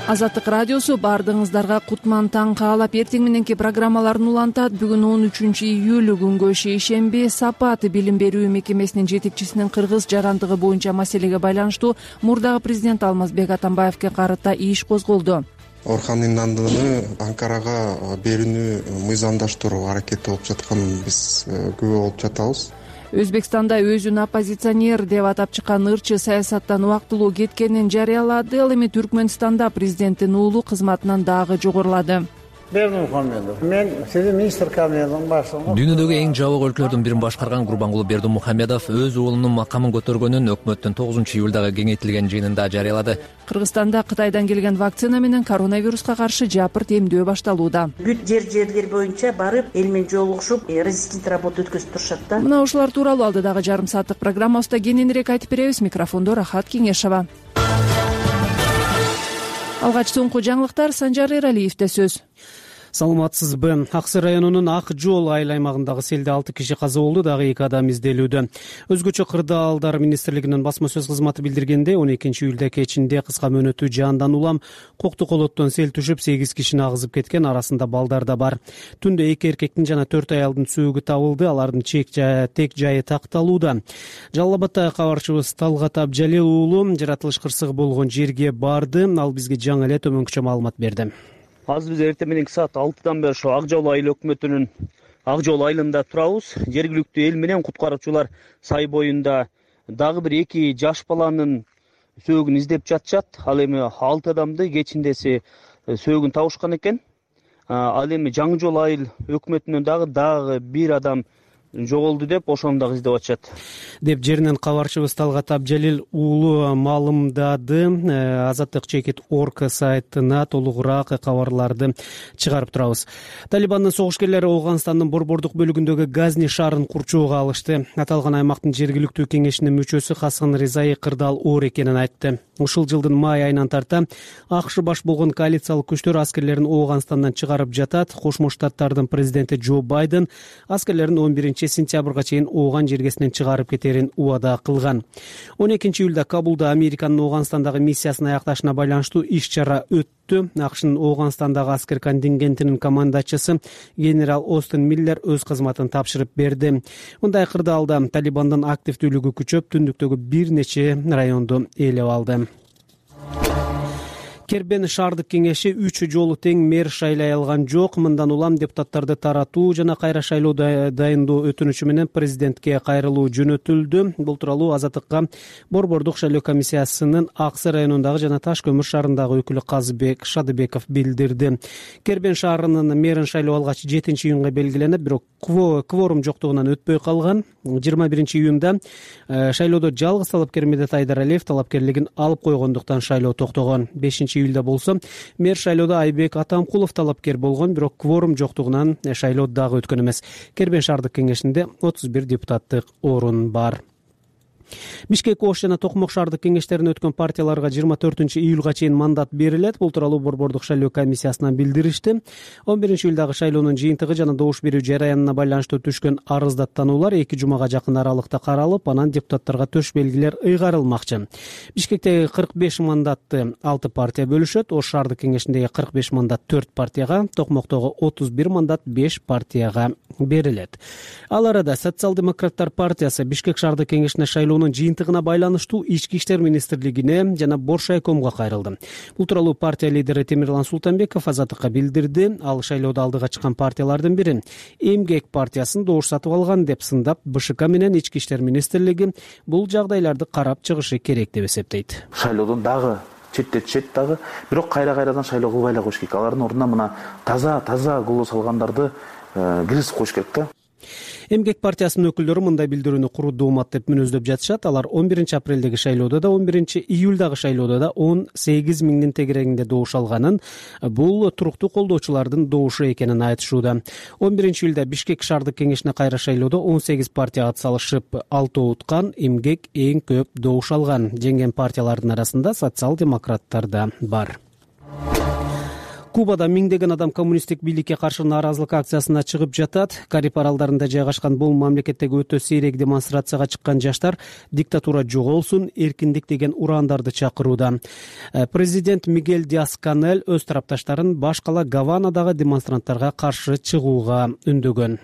Азаттык радиосу баардыгыңыздарга кутман таң каалап эртең мененки программаларын улантат. Бүгүн 13-июль күнгө шейшемби. Сапат билим берүү мекемесинин жетекчисинин кыргыз жарандыгы боюнча маселеге байланыштуу мурдагы президент Алмазбек Атамбаевге карата иш козголду. Орхан Инандыны Анкарага берүүнү мыйзамдаштыруу аракети болуп жатканын биз күбө болуп жатабыз. Өзбекстанда өзүн оппозиционер деп атап чыккан ырчы саясаттан убактылуу кеткенин жарыялады. Ал эми Түркмөнстанда президенттин уулу кызматынан дагы жогорулады. Бердимухамедов. Мен сиздин министр кабинетинин башчысы. Дүйнөдөгү эң жабык өлкөлөрдүн бирин башкарган Гурбангулы Бердимухамедов өз уулунун макамын көтөргөнүн өкмөттүн 9-июлдагы кеңейтилген жыйынында жарыялады. Кыргызстанда Кытайдан келген вакцина менен коронавируска каршы жапырт эмдөө башталууда. Бүт жерлер боюнча барып, эл менен жолугушуп, резистент работа өткөзүп турушат да. Мына ушулар тууралуу алдыдагы жарым сааттык программабызда кененирээк айтып беребиз. Микрофондо Рахат Кеңешова. Алгач соңку жаңылыктар Санжар Эралиевде сөз. Саламатсызбы? Аксы районунун Ак жол айыл аймагындагы селде 6 киши каза болду, дагы 2 адам изделүүдө. Өзгөчө кырдаалдар министрлигинин басма сөз кызматы билдиргенде 12-июлда кечинде кыска мөөнөттүү жаандан улам Кокту колоттон сел түшүп 8 кишини агызып кеткен, арасында балдар да бар. Түндө 2 эркектин жана 4 аялдын сөөгү табылды, алардын тек жайы такталууда. Жалал Абадта кабарчыбыз Талгат Абжалил уулу жаратылыш кырсыгы болгон жерге барды, ал бизге жаңы эле төмөнкүчө маалымат берди. Азыр биз эртең мененки саат 6-дан бери ошо Ак жол айыл өкмөтүнүн Ак жол айылында турабыз. Жергиликтүү эл менен куткаруучулар сай боюнда дагы бир 2 жаш баланын сөөгүн издеп жатышат. Ал эми 6 адамды кечиндеси сөөгүн табышкан экен. Ал эми Жаңы жол айыл өкмөтүнөн дагы 1 адам жоголду деп ошону дагы издеп атышат деп жеринен кабарчыбыз Талгат Абжалил уулу маалымдады. Азаттык чекит орг сайтына толугураак кабарларды чыгарып турабыз. Талибандын согушкерлери Ооганстандын борбордук бөлүгүндөгү Газни шаарын курчоого алышты. Аталган аймактын жергиликтүү кеңешинин мүчөсү Хасан Ризаи кырдаал оор экенин айтты. Ушул жылдын май айынан тарта АКШ баш болгон коалициялык күчтөр аскерлерин Ооганстандан чыгарып жатат. Кошмо Штаттардын президенти Джо Байден аскерлерин 11-сентябрга чейин Ооган жергесинен чыгарып кетерин убада кылган. 12-июлда Кабулда Американын Ооганстандагы миссиясын аякташына байланыштуу иш-чара өттү. АКШнын Ооганстандагы аскер контингентинин командачысы генерал Остин Миллер өз кызматын тапшырып берди. Мындай кырдаалда Талибандын активдүүлүгү күчөп, түндүктөгү бир нече районду ээлеп алды. Кербен шаардык кеңеши 3 жолу тең мэр шайлай алган жок. Мындан улам депутаттарды таратуу жана кайра шайлоо дайындоо өтүнүчү менен президентке кайрылуу жөнөтүлдү. Бул тууралуу Азаттыкка борбордук шайлоо комиссиясынын Аксы районундагы жана Таш көмүр шаарындагы өкүлү Казыбек Шадыбеков билдирди. Кербен шаарынын мэрин шайлоо алгач 7-июнга белгиленип, бирок кворум жоктугунан өтпөй калган. 21-июнда шайлоодо жалгыз талапкер Медет Айдаралиев талапкерлигин алып койгондуктан шайлоо токтогон. 5-июлда болсо мэр шайлоодо Айбек Атамкулов талапкер болгон, бирок кворум жоктугунан шайлоо дагы өткөн эмес. Кербен шаардык кеңешинде 31 депутаттык орун бар. Бишкек, Ош жана Токмок шаардык кеңештерине өткөн партияларга 24-июлга чейин мандат берилет. Бул тууралуу борбордук шайлоо комиссиясынан билдиришти. 11-июлдагы шайлоонун жыйынтыгы жана добуш берүү жараянына байланыштуу түшкөн арыздаттануулар 2 жумага жакын аралыкта каралып, анан депутаттарга төш белгилер ыйгарылмакчы. Бишкектеги 45 мандатты 6 партия бөлүшөт. Ош шаардык кеңешиндеги 45 мандат 4 партияга, Токмоктогу 31 мандат 5 партияга берилет. Ал арада Социал-демократтар партиясы Бишкек шаардык кеңешине шайлоонун жыйынтыгына байланыштуу Ички иштер министрлигине жана Боршайкомго кайрылды. Бул тууралуу партия лидери Темирлан Султанбеков Азаттыкка билдирди. Ал шайлоодо алдыга чыккан партиялардын бири Эмгек партиясын добуш сатып алган деп сындап, БШК менен Ички иштер министрлиги бул жагдайларды карап чыгышы керек деп эсептейт. Шайлоодон дагы четтетишет дагы, бирок кайрадан шайлоо кылбай эле коюш керек. Алардын ордуна мына таза голос алгандарды киргизип коюш керек да. Эмгек партиясынын өкүлдөрү мындай билдирүүнү куру доомат деп мүнөздөп жатышат. Алар 11-апрелдеги шайлоодо да, 11-июлдагы шайлоодо да 18 миңдин тегерегинде добуш алганын, бул туруктуу колдоочулардын добушу экенин айтышууда. 11-июлда Бишкек шаардык кеңешине кайра шайлоодо 18 партия атсалышып, 6 уткан, Эмгек эң көп добуш алган. Жеңген партиялардын арасында социал-демократтар да бар. Кубада миңдеген адам коммунисттик бийликке каршы нааразылык акциясына чыгып жатат. Кариб аралдарында жайгашкан бул мамлекеттеги өтө сейрек демонстрацияга чыккан жаштар диктатура жоголсун, эркиндик деген урандарды чакырууда. Президент Мигель Диас-Канель өз тарапташтарын баш кала Гаванадагы демонстранттарга каршы чыгууга үндөгөн.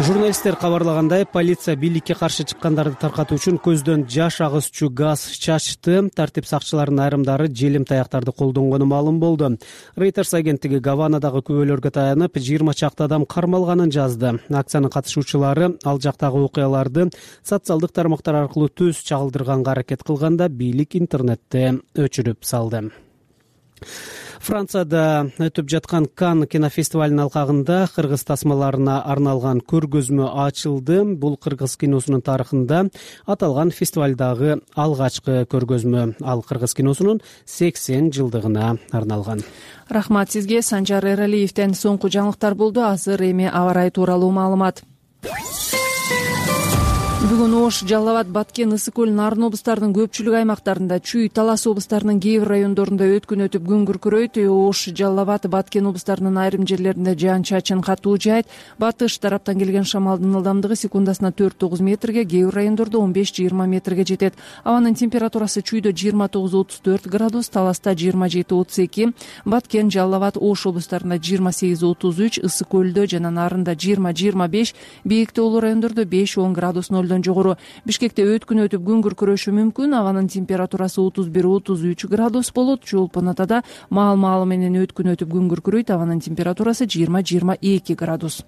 Журналисттер кабарлагандай, полиция бийликке каршы чыккандарды таркатуу үчүн көздөн жаш агызчу газ чачты. Тартип сакчыларынын айрымдары желим таяктарды колдонгону маалым болду. Reuters агенттиги Гаванадагы күбөлөргө таянып 20 чакты адам кармалганын жазды. Акциянын катышуучулары ал жактагы окуяларды социалдык тармактар аркылуу түз чагылдырганга аракет кылганда бийлик интернетте өчүрүп салды. Францияда өтүп жаткан Кан кинофестивалынын алкагында кыргыз тасмаларына арналган көргөзмө ачылды. Бул кыргыз киносунун тарыхында аталган фестивалдагы алгачкы көргөзмө. Ал кыргыз киносунун 80 жылдыгына арналган. Рахмат сизге. Санжар Эралиевден соңку жаңылыктар болду. Азыр эми аба ырайы тууралуу маалымат. Бүгүн Ош, Жалал Абад, Баткен, Ысык көл, Нарын облустарынын көпчүлүк аймактарында, Чүй, Талас облустарынын кээ бир райондорунда өткүн өтүп күн күркүрөйт. Ош, Жалал Абад, Баткен облустарынын айрым жерлеринде жаан-чачын катуу жаайт. Батыш тараптан келген шамалдын ылдамдыгы секундасына 4-9 метрге, кээ бир райондордо 15-20 метрге жетет. Абанын температурасы Чүйдө 29-34 градус, Таласта 27-32, Баткен, Жалал Абад, Ош облустарында 28-33, Ысык көлдө жана Нарында 20-25, бийик тоолуу райондордо 5-10 градус нолдон жогору. Бишкекте өткүн өтүп күн күркүрөшү мүмкүн. Абанын температурасы 31-33 градус болот. Чолпон Атада маал менен өткүн өтүп күн күркүрөйт. Абанын температурасы 20-22 градус.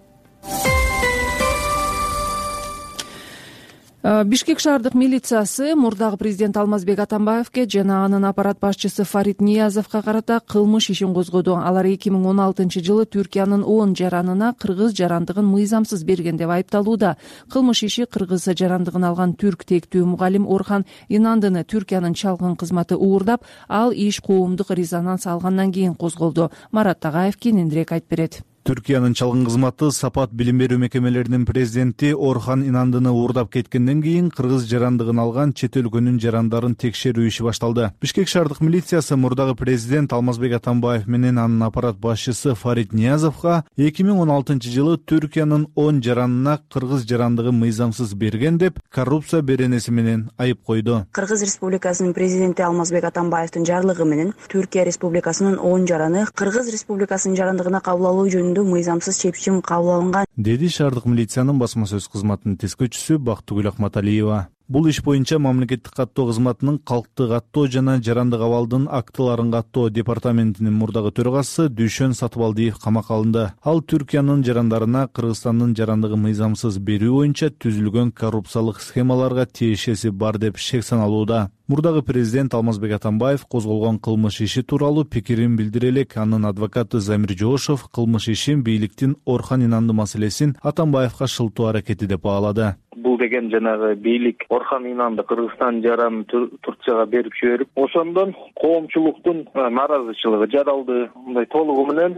Бишкек шаардык милициясы мурдагы президент Алмазбек Атамбаевке жана анын аппарат башчысы Фарид Ниязовго карата кылмыш ишин козгоду. Алар 2016-жылы Түркиянын 10 жаранына кыргыз жарандыгын мыйзамсыз берген деп айыпталууда. Кылмыш иши кыргыз жарандыгын алган түрк тектүү мугалим Орхан Инандыны Түркиянын чалгын кызматы уурдап, ал иш коомдук резонанс алгандан кийин козголду. Марат Тагаев кененирээк айтып берет. Түркиянын чалгын кызматы Сапат билим берүү мекемелеринин президенти Орхан Инандыны уурдап кеткенден кийин кыргыз жарандыгын алган чет өлкөнүн жарандарын текшерүү иши башталды. Бишкек шаардык милициясы мурдагы президент Алмазбек Атамбаев менен анын аппарат башчысы Фарид Ниязовго 2016-жылы Түркиянын 10 жаранына кыргыз жарандыгы мыйзамсыз берген деп коррупция беренеси менен айып койду. Кыргыз Республикасынын президенти Алмазбек Атамбаевдин жарлыгы менен Түркия Республикасынын 10 жараны Кыргыз Республикасынын жарандыгына кабыл алуу жөнүндө мыйзамсыз чечим кабыл алынган, деди шаардык милициянын басма сөз кызматынын тескөчүсү Бактыгүл Акматалиева. Бул иш боюнча мамлекеттик каттоо кызматынын калкты каттоо жана жарандык абалдын актыларын каттоо департаментинин мурдагы төрагасы Дүйшөн Сатыбалдиев камакка алынды. Ал Түркиянын жарандарына Кыргызстандын жарандыгы мыйзамсыз берүү боюнча түзүлгөн коррупциялык схемаларга тиешеси бар деп шек саналууда. Мурдагы президент Алмазбек Атамбаев козголгон кылмыш иши тууралуу пикирин билдире элек анын адвокаты Замир Жоошов кылмыш ишин бийликтин Орхан Инанды маселесин Атамбаевга шылтоо аракети деп баалады. Бул деген жанагы бийлик Орхан Инанды Кыргызстан жаранын Турцияга берип жиберип, ошондон коомчулуктун нааразычылыгы жаралды. Мындай толугу менен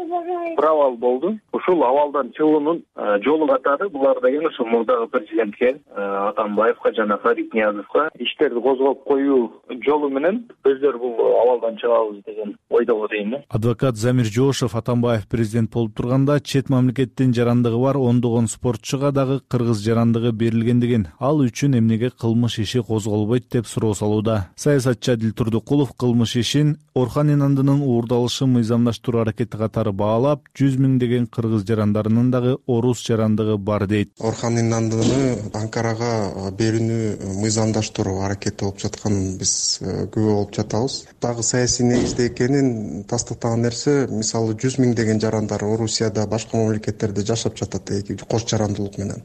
провал болду. Ушул абалдан чыгуунун жолу катары булар деген ошо мурдагы президентке Атамбаевга жана Фарид Ниязовго иштерди козгоп коюу жолу менен өздөрү бул абалдан чыгабыз деген ойдобу дейм. Адвокат Замир Жоошов Атамбаев президент болуп турганда чет мамлекеттин жарандыгы бар ондогон спортчуга дагы кыргыз жарандыгы берилгендигин, ал үчүн эмнеге кылмыш иши козголбойт деп суроо салууда. Саясатчы Адил Турдукулов кылмыш ишин Орхан Инандынын уурдалышын мыйзамдаштыруу аракети катары баалап, 100 миңдеген кыргыз жарандарынын дагы орус жарандыгы бар дейт. Орхан Инандыны Анкарага берүүнү мыйзамдаштыруу аракети болуп жатканын биз күбө болуп жатабыз. Дагы саясий негизде экенин тастыктаган нерсе, мисалы 100 миңдеген жарандар Орусияда, башка мамлекеттерде жашап жатат кош жарандуулук менен.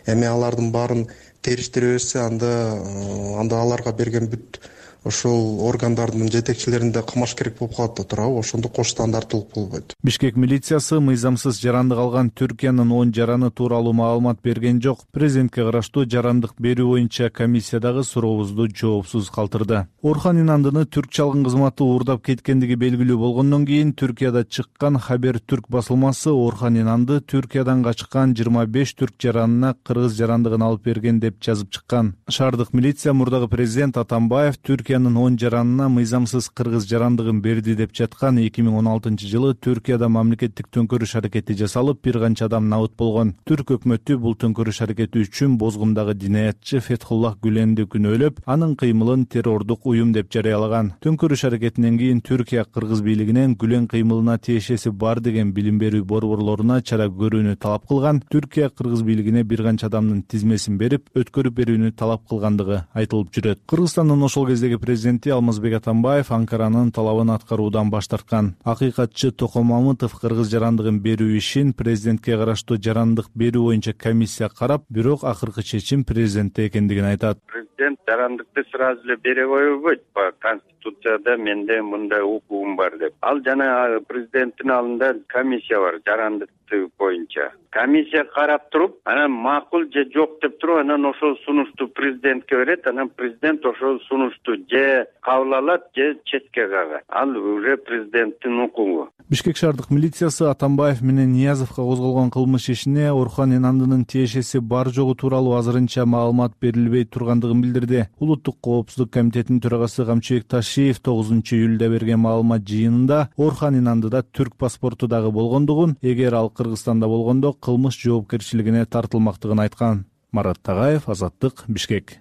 Эми алардын баарын териштире берсе, анда аларга берген бүт ошол органдардын жетекчилеринде кылмаш керек болуп калат да туурабы? Ошондо кош стандарттуулук болбойт. Бишкек милициясы мыйзамсыз жарандык алган Түркиянын 10 жараны тууралуу маалымат берген жок. Президентке караштуу жарандык берүү боюнча комиссиядагы сурообузду жоопсуз калтырды. Орхан Инандыны түрк чалгын кызматы уурдап кеткендиги белгилүү болгондон кийин Түркияда чыккан Хабер Түрк басылмасы Орхан Инанды Түркиядан качкан 25 түрк жаранына кыргыз жарандыгын алып берген деп жазып чыккан. Шаардык милиция мурдагы президент Атамбаев Түркиянын 10 жаранына мыйзамсыз кыргыз жарандыгын берди деп жаткан 2016-жылы Түркияда мамлекеттик төңкөрүш аракети жасалып, бир канча адам набыт болгон. Түрк өкмөтү бул төңкөрүш аракети үчүн Бозгундагы динаятчы Фетхуллах Гүленди күнөөлөп, анын кыймылын террордук уюм деп жарыялаган. Төңкөрүш аракетинен кийин Түркия кыргыз бийлигинен Гүлен кыймылына тиешеси бар деген билим берүү борборлоруна чара көрүүнү талап кылган. Түркия кыргыз бийлигине бир канча адамдын тизмесин берип, өткөрүп берүүнү талап кылгандыгы айтылып жүрөт. Кыргызстандын ошол кездеги президенти Алмазбек Атамбаев Анкаранын талабын аткаруудан баш тарткан. Акыйкатчы Током Мамытов кыргыз жарандыгын берүү ишин президентке караштуу жарандык берүү боюнча комиссия карап, бирок акыркы чечим президентте экендигин айтат. Президент жарандыкты сразу эле бере койбойт. Конституцияда менде мындай укугум бар деп. Ал жана президенттин алдында комиссия бар жарандыкты боюнча. Комиссия карап туруп, анан макул же жок деп туруп, анан ошол сунушту президентке берет, анан президент ошол сунушту же кабыл алат, же четке кагат. Ал уже президенттин укугу. Бишкек шаардык милициясы Атамбаев менен Ниязовго козголгон кылмыш ишине Орхон Инандынын тиешеси бар жогу тууралуу азырынча маалымат берилбей тургандыгын билдирди. Улуттук коопсуздук комитетинин төрагасы Камчыбек Ташиев 9-июлда берген маалымат жыйынында Орхон Инандыда түрк паспорту дагы болгондугун, эгер ал Кыргызстанда болгондо кылмыш жоопкерчилигине тартылмактыгын айткан. Марат Тагаев, Азаттык, Бишкек.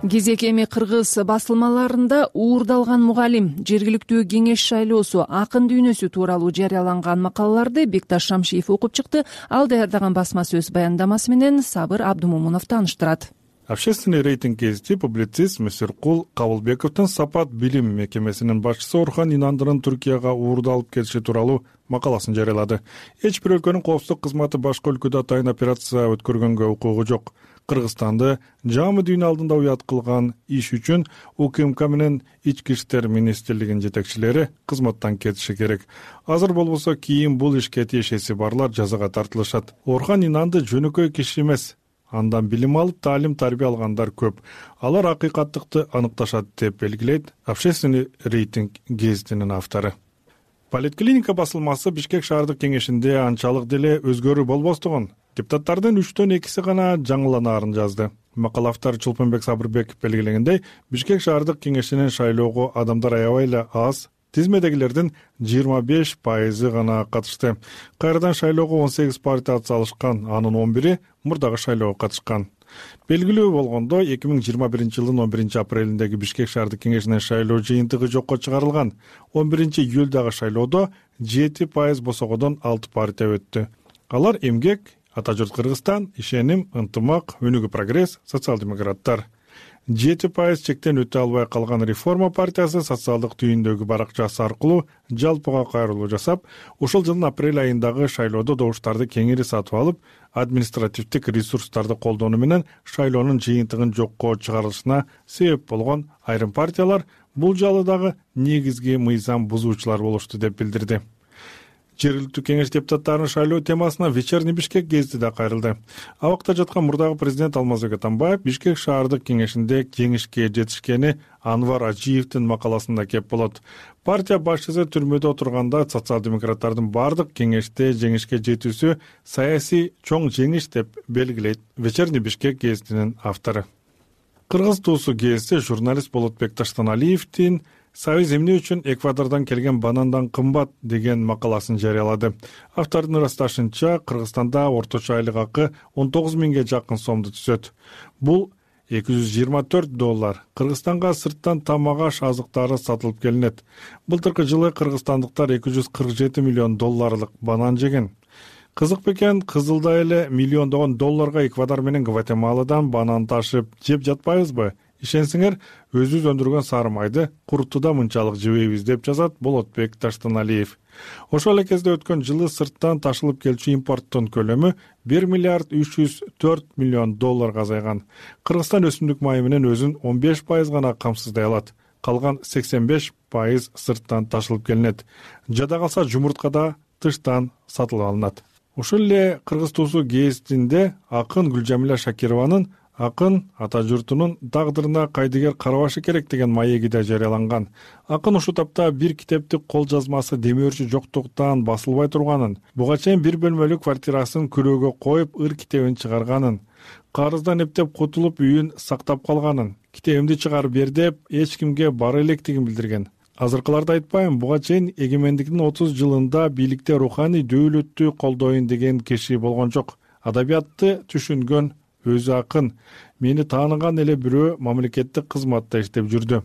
Кезек эми кыргыз басылмаларында уурдалган мугалим, жергиликтүү кеңеш шайлоосу, акын дүйнөсү тууралуу жарыяланган макалаларды Бекташ Шамшиев окуп чыкты. Ал даярдаган басма сөз баяндамасы менен Сабыр Абдумомунов тааныштырат. Общественный рейтинг гезити публицист Мисиркул Кабылбековдун Сапат билим мекемесинин башчысы Орхон Инандынын Түркияга уурдалып кетиши тууралуу макаласын жарыялады. Эч бир өлкөнүн коопсуздук кызматы башка өлкөдө атайын операция өткөргөнгө укугу жок. Кыргызстанды жаамы дүйнө алдында уят кылган иш үчүн УКМК менен Ички иштер министрлигинин жетекчилери кызматтан кетиши керек. Азыр болбосо кийин бул ишке тиешеси барлар жазага тартылышат. Орхон Инанды жөнөкөй киши эмес. Андан билим алып, таалим-тарбия алгандар көп. Алар акыйкаттыкты аныкташат деп белгилейт Общественный рейтинг гезитинин автору. Политклиника басылмасы Бишкек шаардык кеңешинде анчалык деле өзгөрүү болбостугун, депутаттардын 3/2 гана жаңыланаарын жазды. Макала автор Чулпунбек Сабырбеков белгилегендей, Бишкек шаардык кеңешинин шайлоого адамдар аябай эле аз. Тизмедегилердин 25% гана катышты. Кайрадан шайлоого 18 партия атсалышкан, анын 11 мурдагы шайлоого катышкан. Белгилүү болгондо 2021-жылдын 11-апрелиндеги Бишкек шаардык кеңешинин шайлоо жыйынтыгы жокко чыгарылган. 11-июлдагы шайлоодо 7% босогодон 6 партия өттү. Алар Эмгек, Ата журт Кыргызстан, Ишеним, Ынтымак, Өнүгүү прогресс, социал-демократтар. 7% чектен өтө албай калган Реформа партиясы социалдык түйүндөгү баракчасы аркылуу жалпыга кайрылуу жасап, ушул жылдын апрель айындагы шайлоодо добуштарды кеңири сатып алып, административдик ресурстарды колдонуу менен шайлоонун жыйынтыгын жокко чыгарылышына себеп болгон айрым партиялар бул жолу дагы негизги мыйзам бузуучулар болушту деп билдирди. Жергиликтүү кеңеш депутаттарынын шайлоо темасына Вечерний Бишкек гезити да кайрылды. Абакта жаткан мурдагы президент Алмазбек Атамбаев Бишкек шаардык кеңешинде жеңишке жетишкени Анвар Ажиевдин макаласында кеп болот. Партия башчысы түрмөдө отурганда социал-демократтардын бардык кеңеште жеңишке жетүүсү саясий чоң жеңиш деп белгилейт Вечерний Бишкек гезитинин автору. Кыргыз туусу гезити журналист Болотбек Таштаналиевдин Союз эмне үчүн Эквадордон келген банандан кымбат деген макаласын жарыялады. Автордун ырасташынча, Кыргызстанда орточо айлык акы 19 миңге жакын сомду түзөт. Бул $224. Кыргызстанга сырттан тамак-аш азыктары сатылып келинет. Былтыркы жылы кыргызстандыктар $247 миллион банан жеген. Кызык бекен, кызылда эле миллиондогон долларга Эквадор менен Гватемаладан банан ташып жеп жатпайбызбы? Ишенсиңер, өзүбүз өндүргөн сары майды куруттуда мынчалык жебейбиз деп жазат Болотбек Таштаналиев. Ошол эле кезде өткөн жылы сырттан ташылып келчү импорттун көлөмү $1,304 миллион азайган. Кыргызстан өсүмдүк майы менен өзүн 15% гана камсыздай алат. Калган 85% сырттан ташылып келинет. Жада калса жумуртка да тыштан сатылып алынат. Ошол эле Кыргыз туусу гезитинде акын Гүлжамиля Шакированын Акын ата журтунун тагдырына кайдыгер карабашы керек деген маеги да жарыяланган. Акын ушул тапта бир китептик кол жазмасы демөөрчү жоктуктан басылбай турганын, буга чейин бир бөлмөлүк квартирасын күрөөгө коюп ыр китебин чыгарганын, карыздан эптеп кутулуп үйүн сактап калганын, китебимди чыгарып бер деп эч кимге бара электигин билдирген. Азыркыларды айтпайм, буга чейин эгемендиктин 30 жылында бийликте руханий дөөлөттү колдоюн деген киши болгон жок. Адабиятты түшүнгөн өзү акын, мени тааныган эле бирөө мамлекеттик кызматта иштеп жүрдү.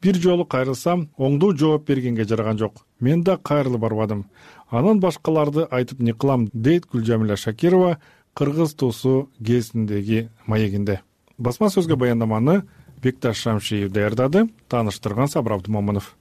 Бир жолу кайрылсам, оңдуу жооп бергенге жараган жок. Мен да кайрылып барбадым. Анан башкаларды айтып не кылам, дейт Гүлжамила Шакирова Кыргыз туусу гезитиндеги маегинде. Басма сөзгө баяндаманы Бекташ Шамшиев даярдады, тааныштырган Сабыр Абдымомунов.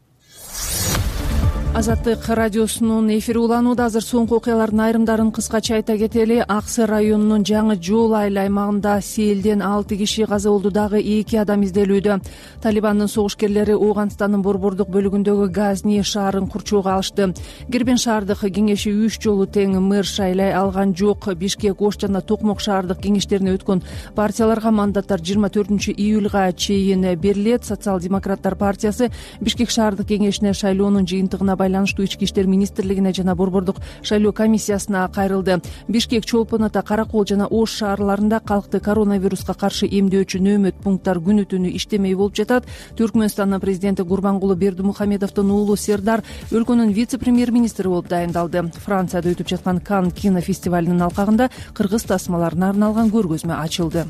Азаттык радиосунун эфири уланууда. Азыр соңку окуялардын айрымдарын кыскача айта кетели. Аксы районунун Жаңы Жол айыл аймагында селден 6 киши каза болду, дагы 2 адам изделүүдө. Талибандын согушкерлери Ооганстандын борбордук бөлүгүндөгү Газни шаарын курчоого алышты. Гербен шаардык кеңеши 3 жолу тең мэр шайлай алган жок. Бишкек, Ош жана Токмок шаардык кеңештерине өткөн партияларга мандаттар 24 июлга чейин берилет. Социал-демократтар партиясы Бишкек шаардык кеңешине шайлоонун жыйынтыгына байланыштуу ички иштер министрлигине жана борбордук шайлоо комиссиясына кайрылды. Бишкек, Чолпон Ата, Каракол жана Ош шаарларында калкты коронавируска каршы эмдөөчү нөөмөт пункттар күнү түнү иштемей болуп жатат. Түркмөнстандын президенти Гурбангулы Бердимухамедовдун уулу Сердар өлкөнүн вице-премьер-министри болуп дайындалды. Францияда өтүп жаткан Кан кинофестивалынын алкагында кыргыз тасмаларына арналган көргөзмө ачылды.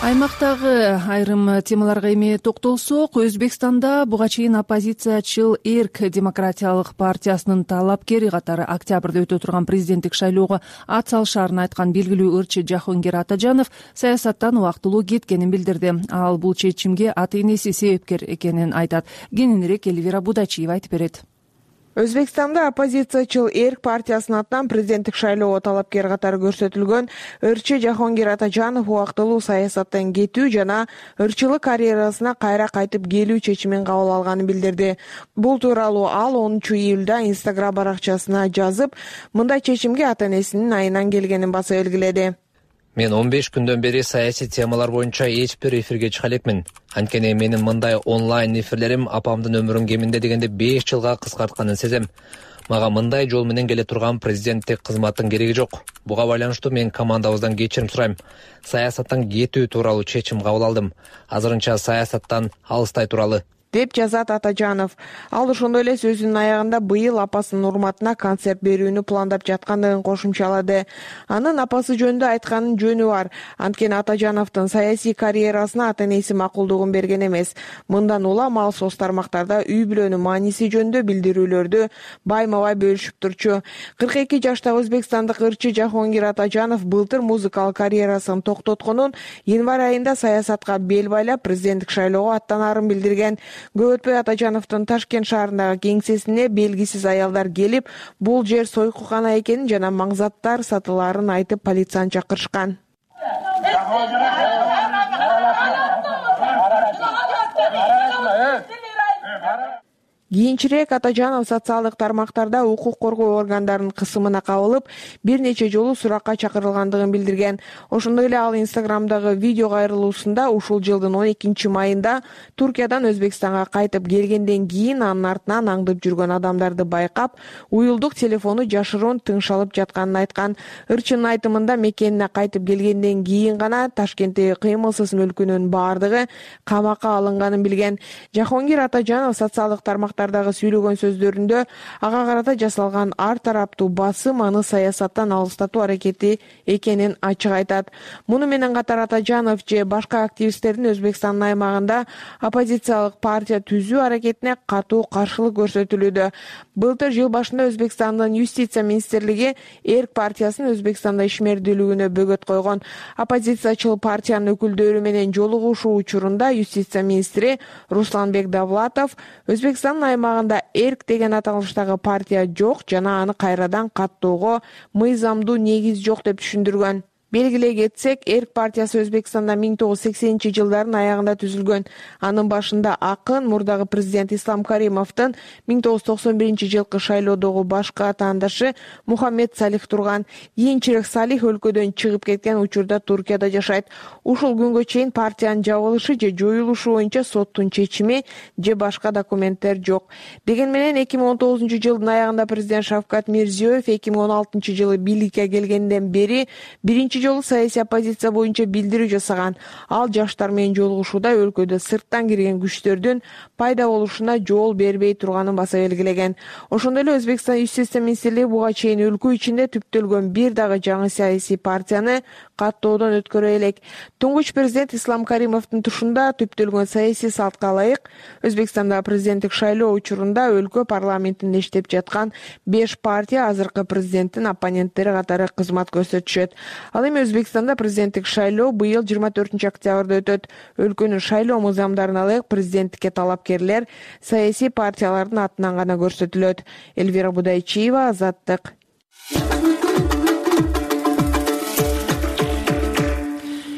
Аймактагы айрым темаларга эми токтолсок, Өзбекстанда буга чейин оппозициячыл Эрк демократиялык партиясынын талапкери катары октябрда өтө турган президенттик шайлоого ат салышаарын айткан белгилүү ырчы Жахонгир Атажанов саясаттан убактылуу кеткенин билдирди. Ал бул чечимге ата-энеси себепкер экенин айтат. Кененирээк Элвира Будачиева айтып берет. Өзбекстанда оппозициячыл Эрк партиясынын атынан президенттик шайлоого талапкер катары көрсөтүлгөн ырчы Жахонгир Атажанов убактылуу саясаттан кетүү жана ырчылык карьерасына кайра кайтып келүү чечимин кабыл алганын билдирди. Бул тууралуу ал 10 июлда Инстаграм баракчасына жазып, мындай чечимге ата-энесинин айынан келгенин баса белгиледи. Мен 15 күндөн бери саясий темалар боюнча эч бир эфирге чыга элекмин. Анткени менин мындай онлайн эфирлерим апамдын өмүрүн кеминде дегенде 5 жылга кыскартканын сезем. Мага мындай жол менен келе турган президенттик кызматтын кереги жок. Буга байланыштуу мен командабыздан кечирим сурайм. Саясаттан кетүү тууралуу чечим кабыл алдым. Азырынча саясаттан алыстай туралы, деп жазат Атажанов. Ал ошондой эле сөзүнүн аягында быйыл апасынын урматына концерт берүүнү пландап жаткандыгын кошумчалады. Анын апасы жөнүндө айтканын жөнү бар. Анткени Атажановдун саясий карьерасына ата-энеси макулдугун берген эмес. Мындан улам ал соц тармактарда үй бүлөнүн мааниси жөнүндө билдирүүлөрдү байма-бай бөлүшүп турчу. 42 жаштагы өзбекстандык ырчы Жахонгир Атажанов былтыр музыкалык карьерасын токтотконун, январь айында саясатка бел байлап президенттик шайлоого аттанаарын билдирген. Көп өтпөй Атажановдун Ташкент шаарындагы кеңсесине белгисиз аялдар келип, бул жер сойкукана экенин жана маңзаттар сатылаарын айтып полицияны чакырышкан. Кийинчерээк Атажанов социалдык тармактарда укук коргоо органдарынын кысымына кабылып, бир нече жолу суракка чакырылгандыгын билдирген. Ошондой эле ал Инстаграмдагы видео кайрылуусунда ушул жылдын 12 майында Туркиядан Өзбекстанга кайтып келгенден кийин анын артынан аңдып жүргөн адамдарды байкап, уюлдук телефону жашыруун тыңшалып жатканын айткан. Ырчынын айтымында мекенине кайтып келгенден кийин гана Ташкенттеги кыймылсыз мүлкүнүн баардыгы камакка алынганын билген. Жахонгир Атажанов социалдык тармактардагы сүйлөгөн сөздөрүндө ага карата жасалган ар тараптуу басым аны саясаттан алыстатуу аракети экенин ачык айтат. Муну менен катар Атажанов же башка активисттердин Өзбекстандын аймагында оппозициялык партия түзүү аракетине катуу каршылык көрсөтүлүүдө. Былтыр жыл башында Өзбекстандын юстиция министрлиги Эрк партиясынын Өзбекстанда ишмердүүлүгүнө бөгөт койгон. Оппозициячыл партиянын өкүлдөрү менен жолугушуу учурунда юстиция министри Русланбек Давлатов Өзбекстандын аймагында Эрк деген аталыштагы партия жок жана аны кайрадан каттоого мыйзамдуу негиз жок деп түшүндүргөн. Белгилей кетсек, Эрк партиясы Өзбекстанда 1980-жылдардын аягында түзүлгөн. Анын башында акын мурдагы президент Ислам Каримовдун 1991-жылкы шайлоодогу башкы атаандашы Мухаммед Салих турган. Кийинчерээк Салих өлкөдөн чыгып кеткен учурда Туркияда жашайт. Ушул күнгө чейин партиянын жабылышы же жоюлушу боюнча соттун чечими же башка документтер жок. Деген менен 2019-жылдын аягында президент Шавкат Мирзиёев 2016-жылы бийликке келгенден бери биринчи жолу саясий оппозиция боюнча билдирүү жасаган. Ал жаштар менен жолугушууда өлкөдө сырттан кирген күчтөрдүн пайда болушуна жол бербей турганын баса белгилеген. Ошондой эле Өзбекстан Юстиция министрлиги буга чейин өлкө ичинде түптөлгөн бир дагы жаңы саясий партияны каттоодон өткөрө элек. Туңгуч президент Ислам Каримовдун тушунда түптөлгөн саясий салтка ылайык Өзбекстанда президенттик шайлоо учурунда өлкө парламентинде иштеп жаткан 5 партия азыркы президенттин оппоненттери катары кызмат көрсөтүшөт. Ал эми Өзбекстанда президенттик шайлоо быйыл 24-октябрда өтөт. Өлкөнүн шайлоо мыйзамдарына ылайык президенттикке талапкерлер саясий партиялардын атынан гана көрсөтүлөт. Элвира Будайчиева, Азаттык.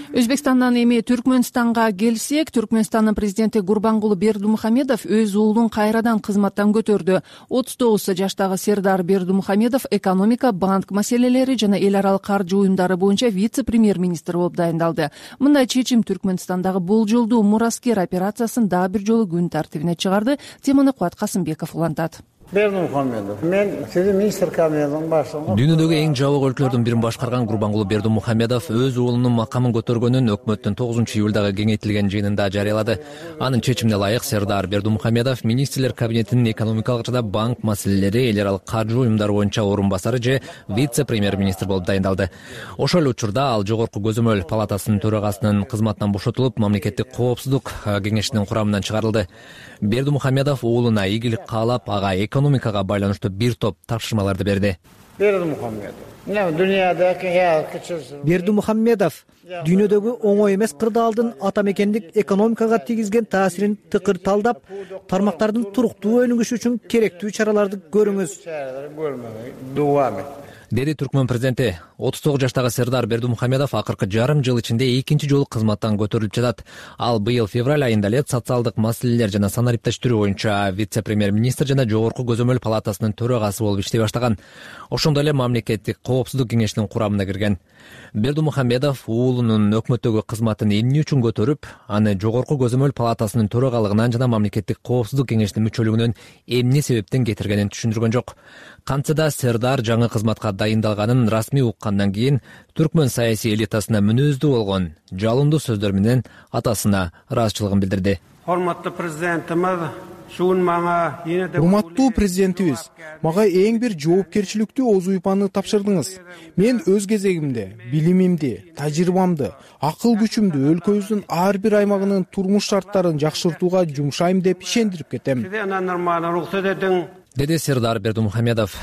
Өзбекстандан эми Түркмөнстанга келсек, Түркмөнстандын президенти Гурбангулы Бердимухамедов өз уулун кайрадан кызматтан көтөрдү. 39 жаштагы Сердар Бердимухамедов экономика, банк маселелери жана эл аралык каржы уюмдары боюнча вице-премьер-министр болуп дайындалды. Мындай чечим Түркмөнстандагы болжолдуу мураскер операциясын дагы бир жолу күн тартибине чыгарды. Теманы Кубат Касымбеков улантат. Бердимухамедов. Мен сиздин министр кабинетинин башчысы. Дүйнөдөгү эң жабык өлкөлөрдүн бирин башкарган Гурбангулы Бердимухамедов өз уулунун макамын көтөргөнүн өкмөттүн 9-июлдагы кеңейтилген жыйынында жарыялады. Анын чечимине ылайык Сердар Бердимухамедов министрлер кабинетинин экономикалык жана банк маселелери, эл аралык каржы уюмдары боюнча орун басары же вице-премьер-министр болуп дайындалды. Ошол эле учурда ал жогорку көзөмөл палатасынын төрагасынын кызматынан бошотулуп, мамлекеттик коопсуздук кеңешинин курамынан чыгарылды. Бердимухамедов уулуна ийгилик каалап, ага экономикага байланыштуу бир топ тапшырмаларды берди. Бердимухамедов дүйнөдөгү оңой эмес кырдаалдын ата мекендик экономикага тийгизген таасирин тыкыр талдап, тармактардын туруктуу өнүгүшү үчүн керектүү чараларды көрүңүз, деди Түркмөн президенти. 39 жаштагы Сердар Бердимухамедов акыркы жарым жыл ичинде экинчи жолу кызматтан көтөрүлүп жатат. Ал быйыл февраль айында эле социалдык маселелер жана санариптештирүү боюнча вице-премьер-министр жана жогорку көзөмөл палатасынын төрагасы болуп иштей баштаган. Ошондой эле мамлекеттик коопсуздук кеңешинин курамына кирген. Бердимухамедов уулунун өкмөттөгү кызматын эмне үчүн көтөрүп, аны жогорку көзөмөл палатасынын төрагалыгынан жана мамлекеттик коопсуздук кеңешинин мүчөлүгүнөн эмне себептен кетиргенин түшүндүргөн жок. Кантса да Сердар жаңы кызматка дайындалганын расмий уккандан кийин түркмөн саясий элитасына мүнөздүү болгон жалындуу сөздөр менен атасына ыраазычылыгын билдирди. Урматтуу президентimiz, урматтуу президентибиз, мага эң бир жоопкерчиликтүү озуйпаны тапшырдыңыз. Мен өз кезегимде билимимди, тажрыйбамды, акыл күчүмдү өлкөбүздүн ар бир аймагынын турмуш шарттарын жакшыртууга жумшайм деп ишендирип кетем, деди Сердар Бердимухамедов.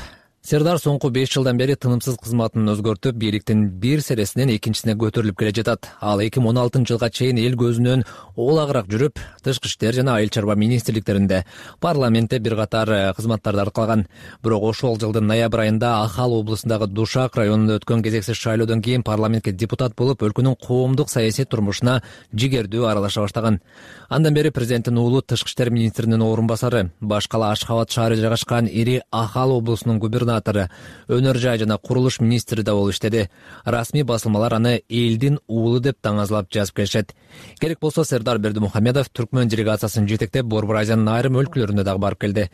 Сердар соңку 5 жылдан бери тынымсыз кызматын өзгөртүп, бийликтин бир сересинен экинчисине көтөрүлүп келе жатат. Ал 2016-жылга чейин эл көзүнөн олагыраак жүрүп, тышкы иштер жана айыл чарба министрликтеринде, парламентте бир катар кызматтарды аркалаган. Бирок ошол жылдын ноябрь айында Ахал облусундагы Душак районунда өткөн кезексиз шайлоодон кийин парламентке депутат болуп, өлкөнүн коомдук саясий турмушуна жигердүү аралаша баштаган. Андан бери президенттин уулу тышкы иштер министринин орун басары, баш кала Ашхабад шаары жайгашкан ири Ахал облусунун губернатору, өнөр жай жана курулуш министри да болуп иштеди. Расмий басылмалар аны элдин уулу деп таңазлап жазып келишет. Керек болсо Сердар Бердимухамедов түркмөн делегациясын жетектеп Борбор Азиянын айрым өлкөлөрүнө дагы барып келди.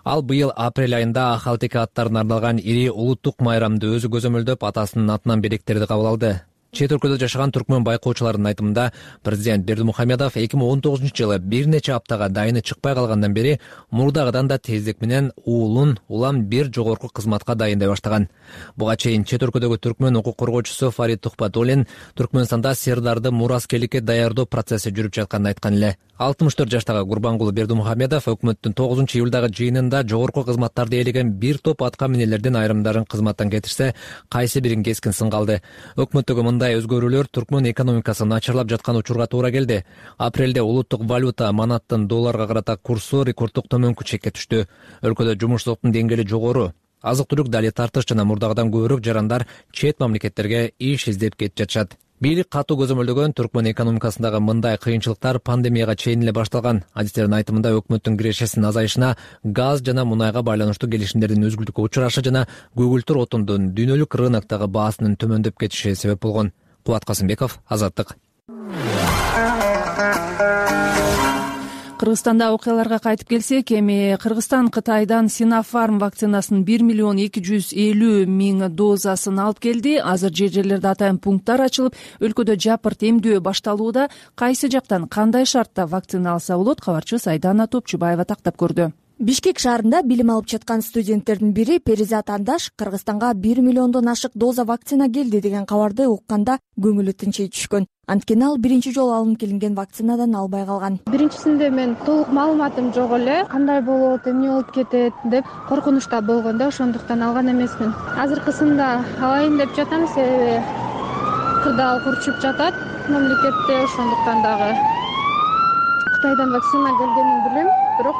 Ал быйыл апрель айында Ахалтеке аттарына арналган ири улуттук майрамды өзү көзөмөлдөп, атасынын атынан белектерди кабыл алды. Чет өлкөдө жашаган түркмөн байкоочуларынын айтымында, президент Бердимухамедов 2019-жылы бир нече аптага дайыны чыкпай калгандан бери мурдагыдан да тездик менен уулун улам бир жогорку кызматка дайындай баштаган. Буга чейин чет өлкөдөгү түркмөн укук коргоочусу Фарид Тухпатуллин Түркмөнстанда Сердарды мураскерликке даярдоо процесси жүрүп жатканын айткан эле. 64 жаштагы Гурбангулы Бердимухамедов өкмөттүн 9-июлдагы жыйынында жогорку кызматтарды ээлеген бир топ атка минелердин айрымдарын кызматтан кетирсе, кайсы бирин кескин сынга алды. Өкмөттөгү мындай өзгөрүүлөр түркмөн экономикасы начарлап жаткан учурга туура келди. Апрелде улуттук валюта манаттын долларга карата курсу рекорддук төмөнкү чекке түштү. Өлкөдө жумушсуздуктун деңгээли жогору. Азык-түлүк дали тартыш жана мурдагыдан көбүрөөк жарандар чет мамлекеттерге иш издеп кетип жатышат. Бийлик катуу көзөмөлдөгөн Түркмөн экономикасындагы мындай кыйынчылыктар пандемияга чейин эле башталган. Адистердин айтымында өкмөттүн кирешесинин азайышына, газ жана мунайга байланыштуу келишимдердин үзгүлтүккө учурашы жана көгүлтүр отундун дүйнөлүк рыноктогу баасынын төмөндөп кетиши себеп болгон. Кубат Касымбеков, Азаттык. Кыргызстанда окуяларга кайтып келсек, эми Кыргызстан Кытайдан Sinopharm вакцинасынын 1,250,000 дозасын алып келди. Азыр жерлерде атайын пункттар ачылып, өлкөдө жапырт эмдөө башталууда. Кайсы жактан кандай шартта вакцина алса болот? Кабарчыбыз Айдана Топчубаева тактап көрдү. Бишкек шаарында билим алып жаткан студенттердин бири Перизат Андаш Кыргызстанга 1 миллиондон ашык доза вакцина келди деген кабарды укканда көңүлү тынчый түшкөн. Анткени ал биринчи жолу алынып келинген вакцинадан албай калган. Биринчисинде мен толук маалыматым жок эле, кандай болот, эмне болуп кетет деп коркунучта болгон да, ошондуктан алган эмесмин. Азыркысында алайын деп жатам, себеби кырдаал курчуп жатат мамлекетте, ошондуктан дагы Кытайдан вакцина келгенин билем, бирок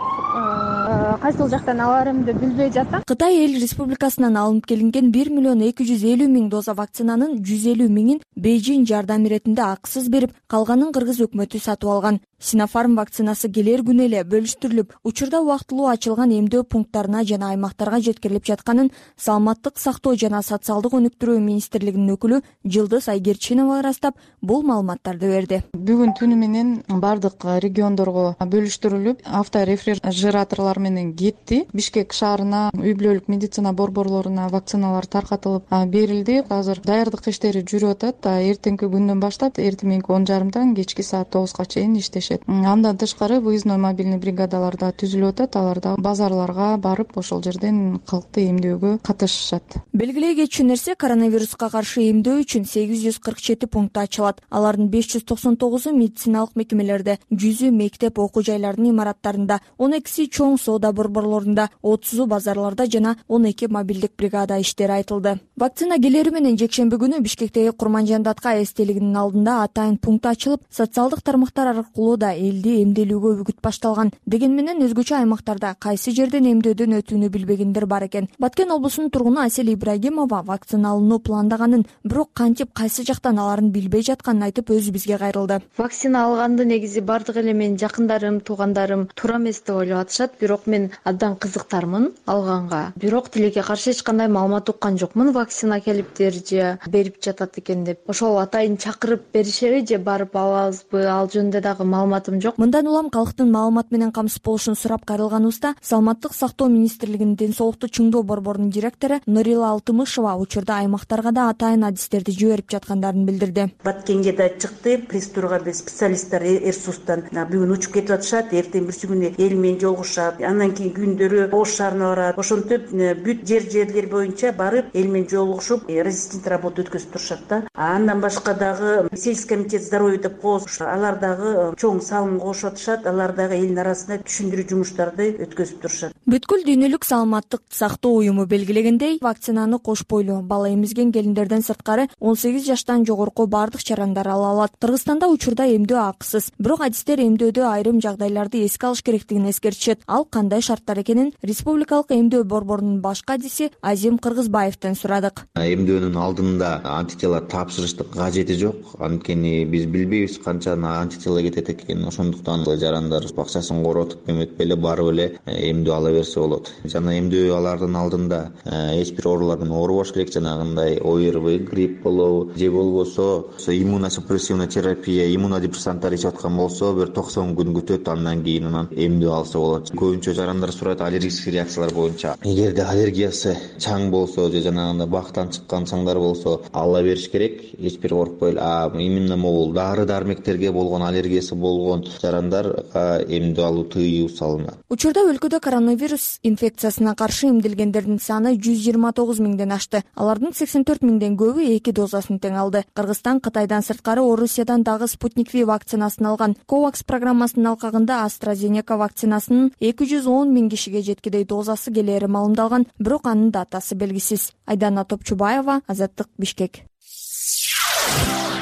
кайсыл жактан аларымды билбей жатам. Кытай эл республикасынан алынып келинген 1,250,000 доза вакцинанын 150,000-ин Бейжин жардам иретинде акысыз берип, калганын кыргыз өкмөтү сатып алган. Sinopharm вакцинасы келер күнү эле бөлүштүрүлүп, учурда убактылуу ачылган эмдөө пункттарына жана аймактарга жеткирилип жатканын Саламаттык сактоо жана социалдык өнүктүрүү министрлигинин өкүлү Жылдыз Айгерчинова ырастап, бул маалыматтарды берди. Бүгүн түнү менен бардык региондорго бөлүштүрүлүп, авторефрижераторлор менен кетти. Бишкек шаарына, үй бүлөлүк медицина борборлоруна вакциналар таркатылып берилди. Азыр даярдык иштери жүрүп атат. Эртеңки күндөн баштап, эртең 10:30-дан кечки саат 9-га чейин иштешет. Андан тышкары выездной мобильный бригадалар да түзүлүп атат. Алар да базарларга барып, ошол жерден калкты эмдөөгө катышышат. Белгилей кетчү нерсе, коронавируска каршы эмдөө үчүн 847 пункт ачылат. Алардын 599-у медициналык мекемелерде, 100-ү мектеп, окуу жайлардын имараттарында, 12-си чоң соода борборлорунда, 30-у базарларда жана 12 мобилдик бригада иштери айтылды. Вакцина келери менен жекшемби күнү Бишкектеги Курманжан Датка эстелигинин алдында атайын пункт ачылып, социалдык тармактар аркылуу да элди эмделүүгө үгүт башталган. Деген менен өзгөчө аймактарда кайсы жерден эмдөөдөн өтүүнү билбегендер бар экен. Баткен облусунун тургуну Асель Ибрагимова вакцина алууну пландаганын, бирок кантип кайсы жактан аларын билбей жатканын айтып, өзү бизге кайрылды. Вакцина алганды негизи бардык эле менин жакындарым, туугандарым туура эмес деп ойлоп атышат, бирок мен абдан кызыктармын алганга. Бирок тилекке каршы эч кандай маалымат уккан жокмун, вакцина келиптир же берип жатат экен деп. Ошол атайын чакырып беришеби же барып алабызбы, ал жөнүндө дагы маалыматым жок. Мындан улам калктын маалымат менен камсыз болушун сурап кайрылганыбызда Саламаттык сактоо министрлигинин ден соолукту чыңдоо борборунун директору Нурила Алтымышева учурда аймактарга да атайын адистерди жиберип жаткандарын билдирди. Баткенге да чыкты, пресс-турга биз специалисттер Эрсустан бүгүн учуп кетип атышат, эртең бирси күнү эл менен жолугушат, андан кийин күндөрү Ош шаарына барат. Ошентип бүт жерлер боюнча барып эл менен жолугушуп, резистент работа өткөзүп турушат да. Андан башка дагы сельский комитет здоровья деп коебуз, алар дагы чоң салым кошуп атышат, алар дагы элдин арасында түшүндүрүү жумуштарды өткөзүп турушат. Бүткүл дүйнөлүк саламаттык сактоо уюму белгилегендей, вакцинаны кош бойлуу, бала эмизген келиндерден сырткары 18 жаштан жогорку бардык жарандар ала алат. Кыргызстанда учурда эмдөө акысыз, бирок адистер эмдөөдө айрым жагдайларды эске алыш керектигин эскертишет. Ал кандай шарттар экенин республикалык эмдөө борборунун башкы адиси Азим Кыргызбаевден сурадык. Эмдөөнүн алдында антитела тапшырыштын кажети жок, анткени биз билбейбиз канча антитела кетет экен. Ошондуктан жарандар бакчасын коротуп эметпей эле барып эле эмдөө ала берсе болот. Жана эмдөө алардын алдында эч бир оорулар менен оорубаш керек, жанагындай ОРВИ, грипп болобу же болбосо иммуносупрессивная терапия, иммунодепрессанттар ичип аткан болсо бир 90 күн күтөт, андан кийин анан эмдөө алса болот. Көбүнчө жарандар сурайт аллергический реакциялар боюнча. Эгерде аллергиясы чаң болсо же жанагындай бактан чыккан чаңдар болсо ала бериш керек, эч бир коркпой эле. Именно могул дары-дармектерге болгон аллергиясы болгон жарандарга эмдөө алуу тыюу салынат. Учурда өлкөдө коронавирус инфекциясына каршы эмделгендердин саны 129 миңден ашты. Алардын 84 миңден көбү 2 дозасын тең алды. Кыргызстан Кытайдан сырткары Орусиядан дагы Спутник V вакцинасын алган. COVAX программасынын алкагында AstraZeneca вакцинасынын 210 миң кишиге жеткидей дозасы келери маалымдалган, бирок анын датасы белгисиз. Айдана Топчубаева, Азаттык, Бишкек.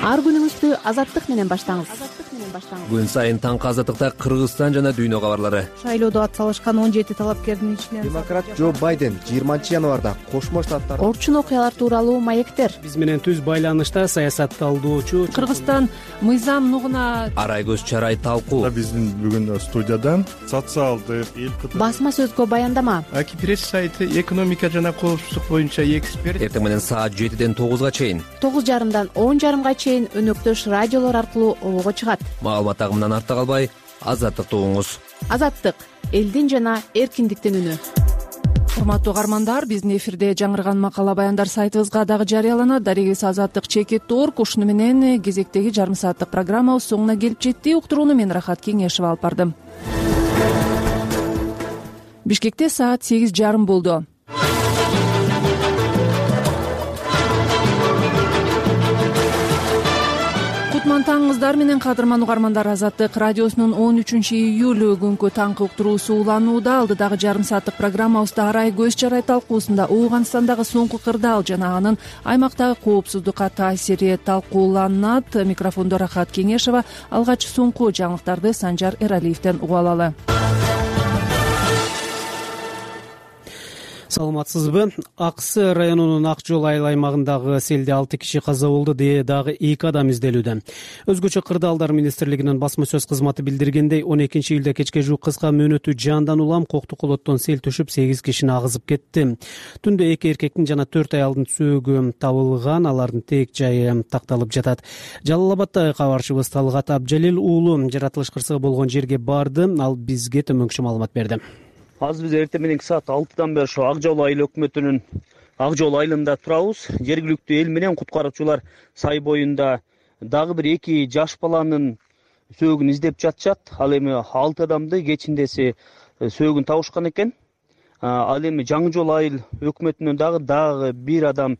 Ар күнүңүздү Азаттык менен баштаңыз. менен баштаңыз. Күн сайын таңкы азаттыкта Кыргызстан жана дүйнө кабарлары. Шайлоодо ат салышкан 17 талапкердин ичинен демократ Джо Байден 20-январда Кошмо Штаттар орчун окуялар тууралуу маектер. Биз менен түз байланышта саясат талдоочу Кыргызстан мыйзам нугуна Арай көз чарай талкуу. Биздин бүгүн студиядан социалдык Басма сөзгө баяндама. Аки пресс сайты экономика жана коопсуздук боюнча эксперт. Эртең менен саат 7ден 9га чейин 9:30дан 10:30га чейин өнөктөш радиолор аркылуу обого чыгат. Маалымат агымынан артта калбай, азаттыкты угуңуз. Азаттык — элдин жана эркиндиктин үнү. Урматтуу каармандар, биздин эфирде жаңырган макала баяндар сайтыбызга дагы жарыяланат. Дарегиз Азаттык.org. Ушуну менен кезектеги жарым сааттык программабыз соңуна келип жетти. Уктурууну мен Рахат Кеңешева алып бардым. Бишкекте саат 8:30 болду. Кутман таңыңыздар менен кадырман угармандар, Азаттык радиосунун 13-июль күнкү таңкы уктуруусу уланууда. Алдыдагы жарым сааттык программабызда Арай көз чарай талкуусунда Ооганстандагы соңку кырдаал жана анын аймактагы коопсуздукка таасири талкууланат. Микрофондо Рахат Кеңешева. Алгач соңку жаңылыктарды Санжар Эралиевден угуп алалы. Саламатсызбы? Аксы районунун Ак жол айыл аймагындагы селде 6 киши каза болду, дагы 2 адам изделүүдө. Өзгөчө Кырдаалдар министрлигинин басма сөз кызматы билдиргендей, 12-июлда кечке жуук кыска мөөнөтү жаандан улам Коктукулоттон сел түшүп 8 кишини агызып кетти. Түндө 2 эркектин жана 4 аялдын сөөгү табылган, алардын тек жайы такталып жатат. Жалал-Абаддагы кабарчыбыз Талгат Абжалил уулу жаратылыш кырсыгы болгон жерге барды, ал бизге төмөнкүчө маалымат берди. Азыр биз эртең мененки саат 6-дан бери ошо Ак жол айыл өкмөтүнүн Ак жол айылында турабыз. Жергиликтүү эл менен куткаруучулар сай боюнда дагы бир 2 жаш баланын сөөгүн издеп жатышат. Ал эми 6 адамды кечиндеси сөөгүн табышкан экен. Ал эми Жаңы жол айыл өкмөтүнөн дагы 1 адам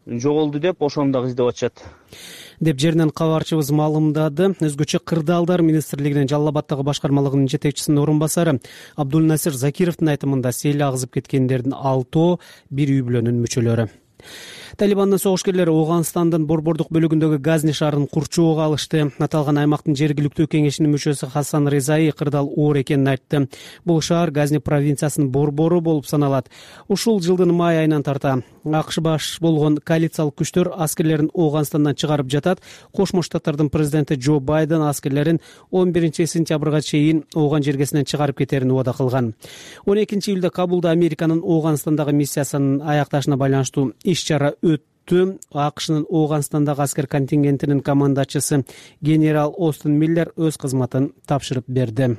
жоголду деп ошону дагы издеп атышат деп жеринен кабарчыбыз маалымдады. Өзгөчө Кырдаалдар министрлигинин Жалал-Абаддагы башкармалыгынын жетекчисинин орун басары Абдулнасир Закировдун айтымында сел агызып кеткендердин 6 бир үй бүлөнүн мүчөлөрү. Талибандын согушкерлери Ооганстандын борбордук бөлүгүндөгү Газни шаарын курчоого алышты. Аталган аймактын жергиликтүү кеңешинин мүчөсү Хасан Резаи кырдаал оор экенин айтты. Бул шаар Газни провинциясынын борбору болуп саналат. Ушул жылдын май айынан тарта АКШ баш болгон коалициялык күчтөр аскерлерин Ооганстандан чыгарып жатат. Кошмо Штаттардын президенти Джо Байден аскерлерин 11 сентябрга чейин Ооган жергесинен чыгарып кетерин убада кылган. 12-июлда Кабулда Американын Ооганстандагы миссиясынын аякташына байланыштуу иш-чара өттү. АКШнын Ооганстандагы аскер контингентинин командачысы генерал Остин Миллер өз кызматын тапшырып берди.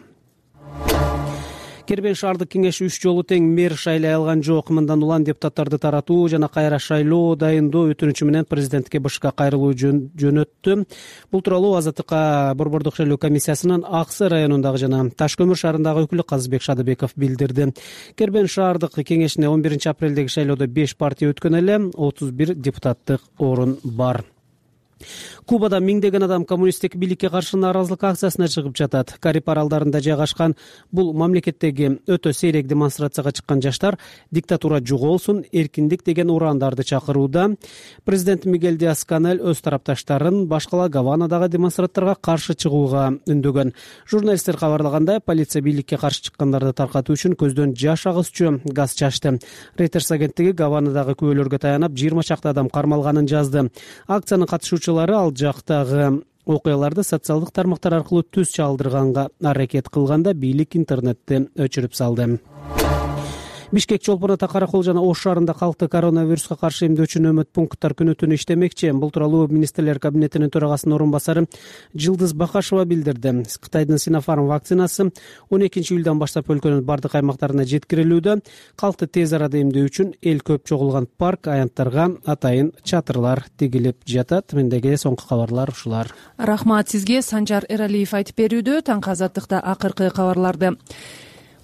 Кербен шаардык кеңеш 3 жолу тең мэр шайлай алган жок. Мындан улам депутаттарды таратуу жана кайра шайлоо дайындоо өтүнүчү менен президентке БШК кайрылуу жөнөттү. Бул тууралуу Азаттыкка борбордук шайлоо комиссиясынын Аксы районундагы жана Таш көмүр шаарындагы өкүлү Казыбек Шадыбеков билдирди. Кербен шаардык кеңешине 11 апрелдеги шайлоодо 5 партия өткөн эле, 31 депутаттык орун бар. Кубада миңдеген адам коммунисттик бийликке каршы нааразылык акциясына чыгып жатат. Кариб аралдарында жайгашкан бул мамлекеттеги өтө сейрек демонстрацияга чыккан жаштар диктатура жоголсун, эркиндик деген урандарды чакырууда. Президент Мигель Диас-Канель өз тарапташтарын башкала Гаванадагы демонстранттарга каршы чыгууга үндөгөн. Журналисттер кабарлагандай, полиция бийликке каршы чыккандарды таркатуу үчүн көздөн жаш агызчу газ чачты. Reuters агенттиги Гаванадагы күбөлөргө таянып 20 чакты адам кармалганын жазды. Акциянын катышуучулары ал жактагы окуяларды социалдык тармактар аркылуу түз чалдырганга аракет кылганда бийлик интернетти өчүрүп салды. Бишкек, Чолпон Ата, Каракол жана Ош шаарында калкты коронавируска каршы эмдөөчү нөөмөт пункттар күнү түнү иштемекчи. Бул тууралуу министрлер кабинетинин төрагасынын орун басары Жылдыз Бакашева билдирди. Кытайдын Sinopharm вакцинасы 12-июлдан баштап өлкөнүн бардык аймактарына жеткирилүүдө. Калкты тез арада эмдөө үчүн эл көп чогулган парк, аянттарга атайын чатырлар тигилип жатат. Мендеги соңку кабарлар ушулар. Рахмат сизге. Санжар Эралиев айтып берүүдө. Таңкы Азаттыкта акыркы кабарларды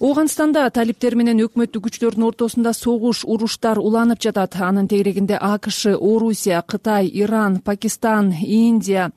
Ооганстанда талиптер менен өкмөттүк күчтөрдүн ортосунда согуш, уруштар уланып жатат. Анын тегерегинде АКШ, Орусия, Кытай, Иран, Пакистан, Индия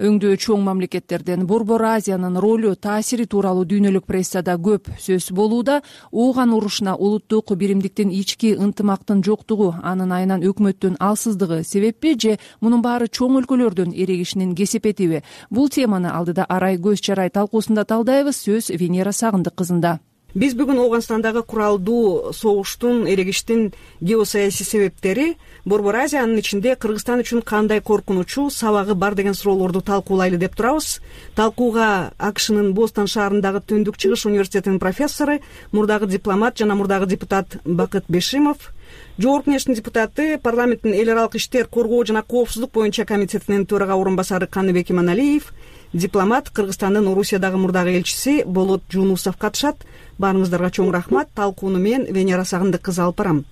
өңдөө чоң мамлекеттерден Борбор Азиянын ролу, таасири тууралуу дүйнөлүк прессада көп сөз болууда. Ооган урушуна улуттук биримдиктин, ички ынтымактын жоктугу, анын айынан өкмөттүн алсыздыгы себеппи же мунун баары чоң өлкөлөрдүн эрегишинин кесепетиби? Бул теманы алдыда Арай көз чарай талкуусунда талдайбыз. Сөз Венера Сагындык кызында. Биз бүгүн Ооганстандагы куралдуу согуштун, эрегиштин геосаясий себептери, Борбор Азиянын ичинде Кыргызстан үчүн кандай коркунучу, сабагы бар деген суроолорду талкуулайлы деп турабыз. Талкууга АКШнын Бостон шаарындагы Түндүк Чыгыш университетинин профессору, мурдагы дипломат жана мурдагы депутат Бакыт Бешимов, Жогорку Кеңештин депутаты, парламенттин эл аралык иштер, коргоо жана коопсуздук боюнча комитетинин төрага орун басары Каныбек Иманалиев, дипломат, Кыргызстандын Орусиядагы мурдагы элчиси Болот Жунусов катышат. Баарыңыздарга чоң рахмат. Талкууну мен Венера Сагындык кызы алып барам.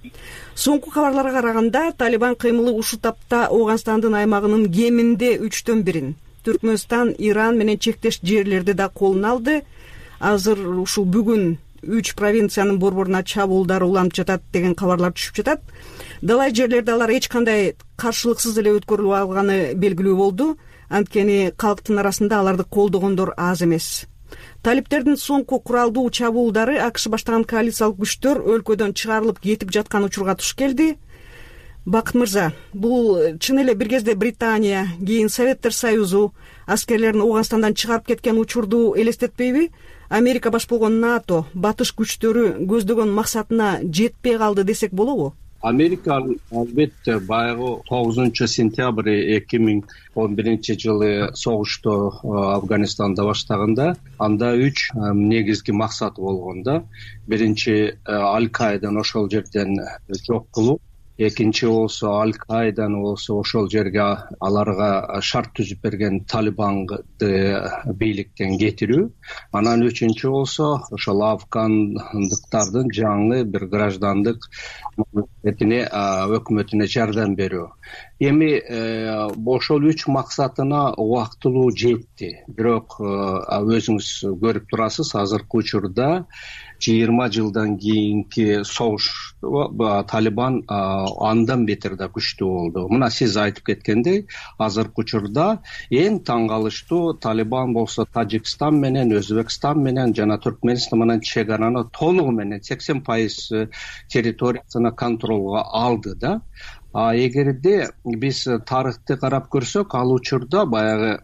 Соңку кабарларга караганда, Талибан кыймылы ушул тапта Ооганстандын аймагынын кеминде 1/3 Түркмөнстан, Иран менен чектеш жерлерди да колуна алды. Азыр ушул бүгүн 3 провинциянын борборуна чабуулдар уланып жатат деген кабарлар түшүп жатат. Далай жерлерди алар эч кандай каршылыксыз эле өткөрүлүп алганы белгилүү болду. Анткени калктын арасында аларды колдогондор аз эмес. Талиптердин соңку куралдуу чабуулдары АКШ баштаган коалициялык күчтөр өлкөдөн чыгарылып кетип жаткан учурга туш келди. Бакыт мырза, бул чын эле бир кезде Британия, кийин Советтер Союзу аскерлерин Ооганстандан чыгарып кеткен учурду элестетпейби? Америка баш болгон НАТО, батыш күчтөрү көздөгөн максатына жетпей калды десек болобу? Америка албетте баягы 9 сентябрь 2011 согушту Афганистанда баштаганда анда 3 негизги максаты болгон да. Биринчи Аль-Каиданы ошол жерден жок кылуу, экинчи болсо Аль-Каиданы болсо ошол жерге аларга шарт түзүп берген Талибанды бийликтен кетирүү, анан үчүнчү болсо ошол афгандыктардын жаңы бир граждандык өкмөтүнө жардам берүү. Эми ошол 3 максатына убактылуу жетти. Бирок өзүңүз көрүп турасыз, азыркы учурда 20 жылдан кийинки согуш Талибан андан бетер да күчтүү болду. Мына сиз айтып кеткендей, азыркы учурда эң таң калыштуу Талибан болсо Тажикстан менен, Өзбекстан менен жана Түркмөнстан менен чегараны толугу менен 80% территориясына контролго алды да. Эгерде биз тарыхты карап көрсөк, ал учурда баягы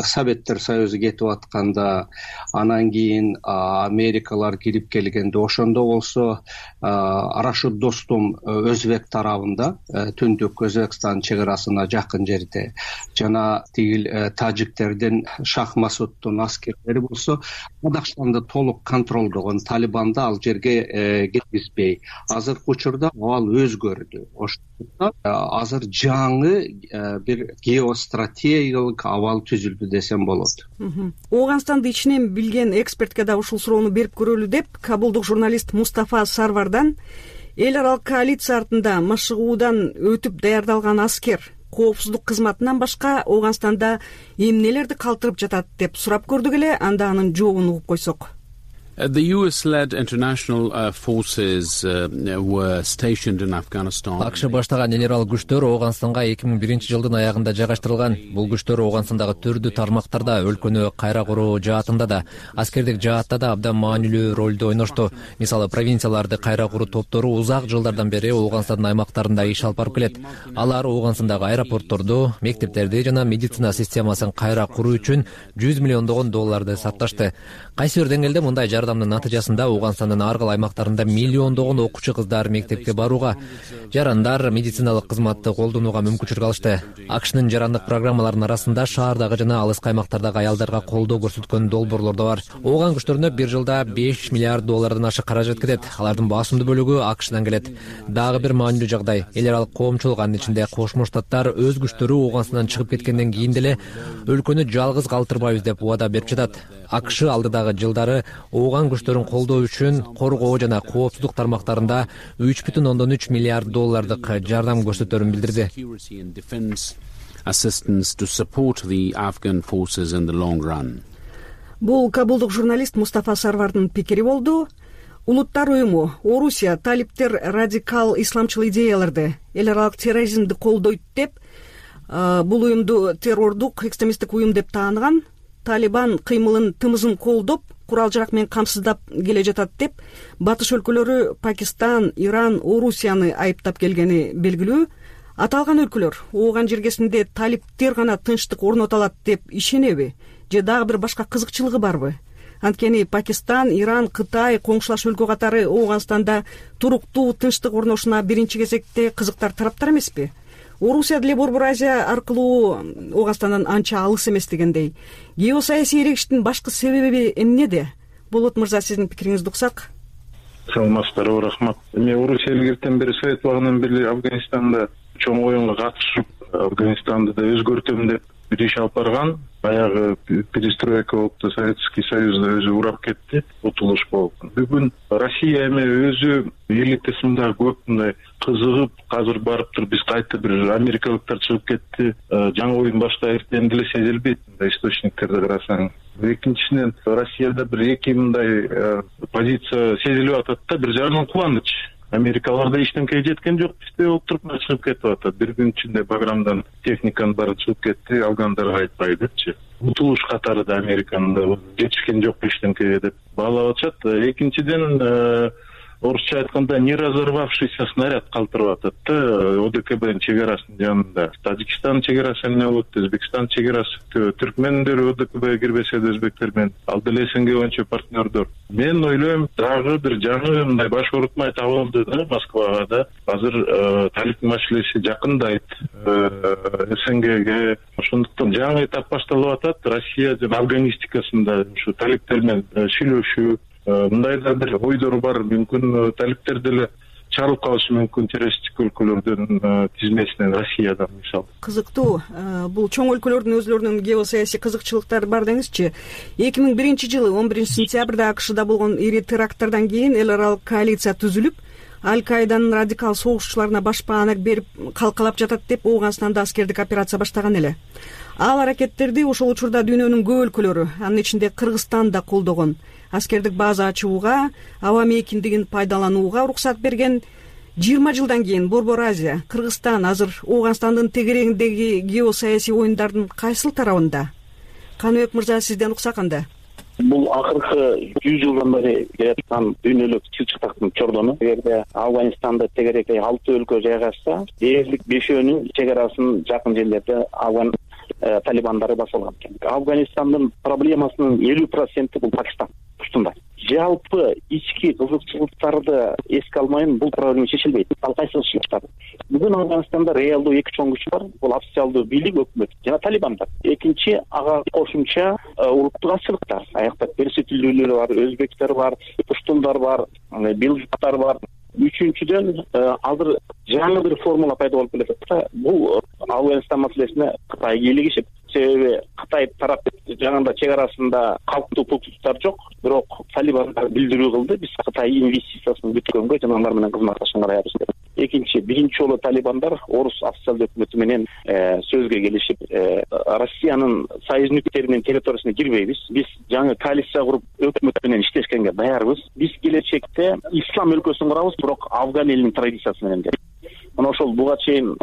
Советтер Союзу кетип атканда, анан кийин Америкалар кирип келгенде, ошондо болсо Рашид Достум Өзбек тарабында, Түндүк Өзбекстан чегарасына жакын жерде, жана тигил тажиктердин Шах Масуддун аскерлери болсо Казакстанды толук контролдогон. Талибанды ал жерге кеткизбей. Азыркы учурда ал өзгөрдү. Ошондо азыр жаңы бир геостратегиялык абал түзүлдү десем болот. Ооганстанды ичинен билген экспертке да ушул суроону берип көрөлү деп, кабулдук журналист Мустафа Сарвардан эл аралык коалиция артында машыгуудан өтүп даярдалган аскер коопсуздук кызматынан башка Ооганстанда эмнелерди калтырып жатат деп сурап көрдүк эле. Анда анын жообун угуп койсок. The US-led international forces were stationed in Afghanistan. АКШ баштаган эл аралык күчтөр Ооганстанга 2001 жылдын аягында жайгаштырылган. Бул күчтөр Ооганстандагы түрдүү тармактарда, өлкөнү кайра куруу жаатында да, аскердик жаатта да абдан маанилүү ролду ойношту. Мисалы, провинцияларды кайра куруу топтору узак жылдардан бери Ооганстандын аймактарында иш алып барып келет. Алар Ооганстандагы аэропортторду, мектептерди жана медицина системасын кайра куруу үчүн $100 миллион сарпташты. Кайсы бир деңгээлде мындай жардамдын натыйжасында Ооганстандын ар кыл аймактарында миллиондогон окуучу кыздар мектепке барууга, жарандар медициналык кызматты колдонууга мүмкүнчүлүк алышты. АКШнын жарандык программаларынын арасында шаардагы жана алыскы аймактардагы аялдарга колдоо көрсөткөн долбоорлор да бар. Ооган күчтөрүнө бир жылда $5 миллиард ашык каражат кетет. Алардын басымдуу бөлүгү АКШдан келет. Дагы бир маанилүү жагдай, эл аралык коомчулук, анын ичинде Кошмо Штаттар өз күчтөрү Ооганстандан чыгып кеткенден кийин деле өлкөнү жалгыз калтырбайбыз деп убада берип жатат. АКШ алдыдагы жылдары Ооган күчтөрүн колдоо үчүн коргоо жана коопсуздук тармактарында $3.3 миллиард жардам көрсөтөрүн билдирди. Бул кабулдук журналист Мустафа Сарвардын пикири болду. Улуттар уюму Орусия талиптер радикал исламчыл идеяларды, эл аралык терроризмди колдойт деп, бул уюмду террордук экстремисттик уюм деп тааныган. Талибан кыймылын тымызын колдоп, курал-жарак менен камсыздап келе жатат деп батыш өлкөлөрү Пакистан, Иран, Орусияны айыптап келгени белгилүү. Аталган өлкөлөр ооган жергесинде талиптер гана тынчтык орното алат деп ишенеби же дагы бир башка кызыкчылыгы барбы? Анткени Пакистан, Иран, Кытай, коңшулаш өлкө катары Ооганстанда туруктуу тынчтык орношуна биринчи кезекте кызыктар тараптар эмеспи? Орусия деле Борбор Азия аркылуу Ооганстандан анча алыс эмес дегендей. Геосаясий эрегиштин башкы себеби эмнеде? Болот мырза, сиздин пикириңизди уксак. Саламатсыздарбы, рахмат. Эми Орусия илгертен бери Совет убагынан бери Афганистанда чоң оюнга катышып, Афганистанды да өзгөртөм деп бир иш алып барган. Баягы перестройка болупту, Советский Союзда өзү урап кетти, утулуш болуп. Бүгүн Россия эми өзү элитасында көп мындай кызыгып, азыр барып туруп биз кайта бир америкалыктар чыгып кетти, жаңы оюн баштайбыз деп деле сезилбейт мындай источниктерди карасаң. Экинчиден Россияда бир эки мындай позиция сезилип атат да, бир жагынан кубаныч. Америкалар да эчтеке жеткен жок, бизде отуруп чыгып кетип атат. Бир күн ичинде Баграмдан техниканын баары чыгып кетти, алгандар кайтпай депчи. Утулуш катары да Американын да жетишкен жок эчтекеге деп баалап атышат. Экинчиден орусча айтканда не разорвавшийся снаряд калтырып атат да ОДКБнын чегарасынын жанында. Тажикстан чегарасы эмне болот, Өзбекстан чегарасы, түркмендер ОДКБге кирбесе да өзбектер менен ал деле СНГ боюнча партнердор. Мен ойлойм, дагы бир жаңы мындай баш оорутмай табылды да Москвага да. Азыр талип маселеси жакындайт СНГге. Ошондуктан жаңы этап башталып атат. Россия жана афганистикасында ушу талиптер менен сүйлөшүү, мындай да бир ойдор бар. Мүмкүн талиптер деле чарылып калышы мүмкүн террористтик өлкөлөрдүн тизмесинен, Россиядан мисалы. Кызыктуу. Бул чоң өлкөлөрдүн өзлөрүнүн геосаясий кызыкчылыктары бар деңизчи. 2001-жылы 11-сентябрда АКШда болгон ири теракттардан кийин эл аралык коалиция түзүлүп, Аль-Каиданын радикал согушчуларына башпаанак берип калкалап жатат деп Ооганстанда аскердик операция баштаган эле. Ал аракеттерди ошол учурда дүйнөнүн көп өлкөлөрү, анын ичинде Кыргызстан да колдогон. Аскердик база ачууга, аба мейкиндигин пайдаланууга уруксат берген. 20 жылдан кийин Борбор Азия, Кыргызстан азыр Ооганстандын тегерегиндеги геосаясий оюндардын кайсыл тарабында? Каныбек мырза, сизден уксак анда. Бул акыркы 100 жылдан бери келаткан дүйнөлүк чылчыктактын чордону. Эгерде Афганистанда тегеректе 6 өлкө жайгашса, дээрлик 5өөнүн чегарасын жакын жерлерде Афган талибандары басылган экен. Афганистандын проблемасынын 50% бул Пакистан устунда. Жалпы ички кызыкчылыктарды эске алмайын, бул проблема чечилбейт. Ал кайсы кызыкчылыктар? Бүгүн Афганистанда реалдуу эки чоң күч бар. Бул официалдуу бийлик, өкмөт жана талибандар. Экинчи, ага кошумча улуттук азчылыктар. Аякта перс тилдүүлөр бар, өзбектер бар, пуштундар бар, билжуктар бар. Үчүнчүдөн, азыр жаңы бир формула пайда болуп келатат да. Бул Афганистан маселесине Кытай кийлигишип, себеби Кытай тарап жаңында чегарасында калктуу пункттар жок, бирок талибандар билдирүү кылды, биз Кытай инвестициясын бүткөнгө жана алар менен кызматташканга даярбыз деп. Экинчи, биринчи жолу талибандар орус официалдуу өкмөтү менен сөзгө келишип, Россиянын союзниктери менен территориясына кирбейбиз. Биз жаңы коалиция куруп өкмөт менен иштешкенге даярбыз. Биз келечекте ислам өлкөсүн курабыз, бирок Афган элинин традициясы менен деп. Мына ошол буга чейин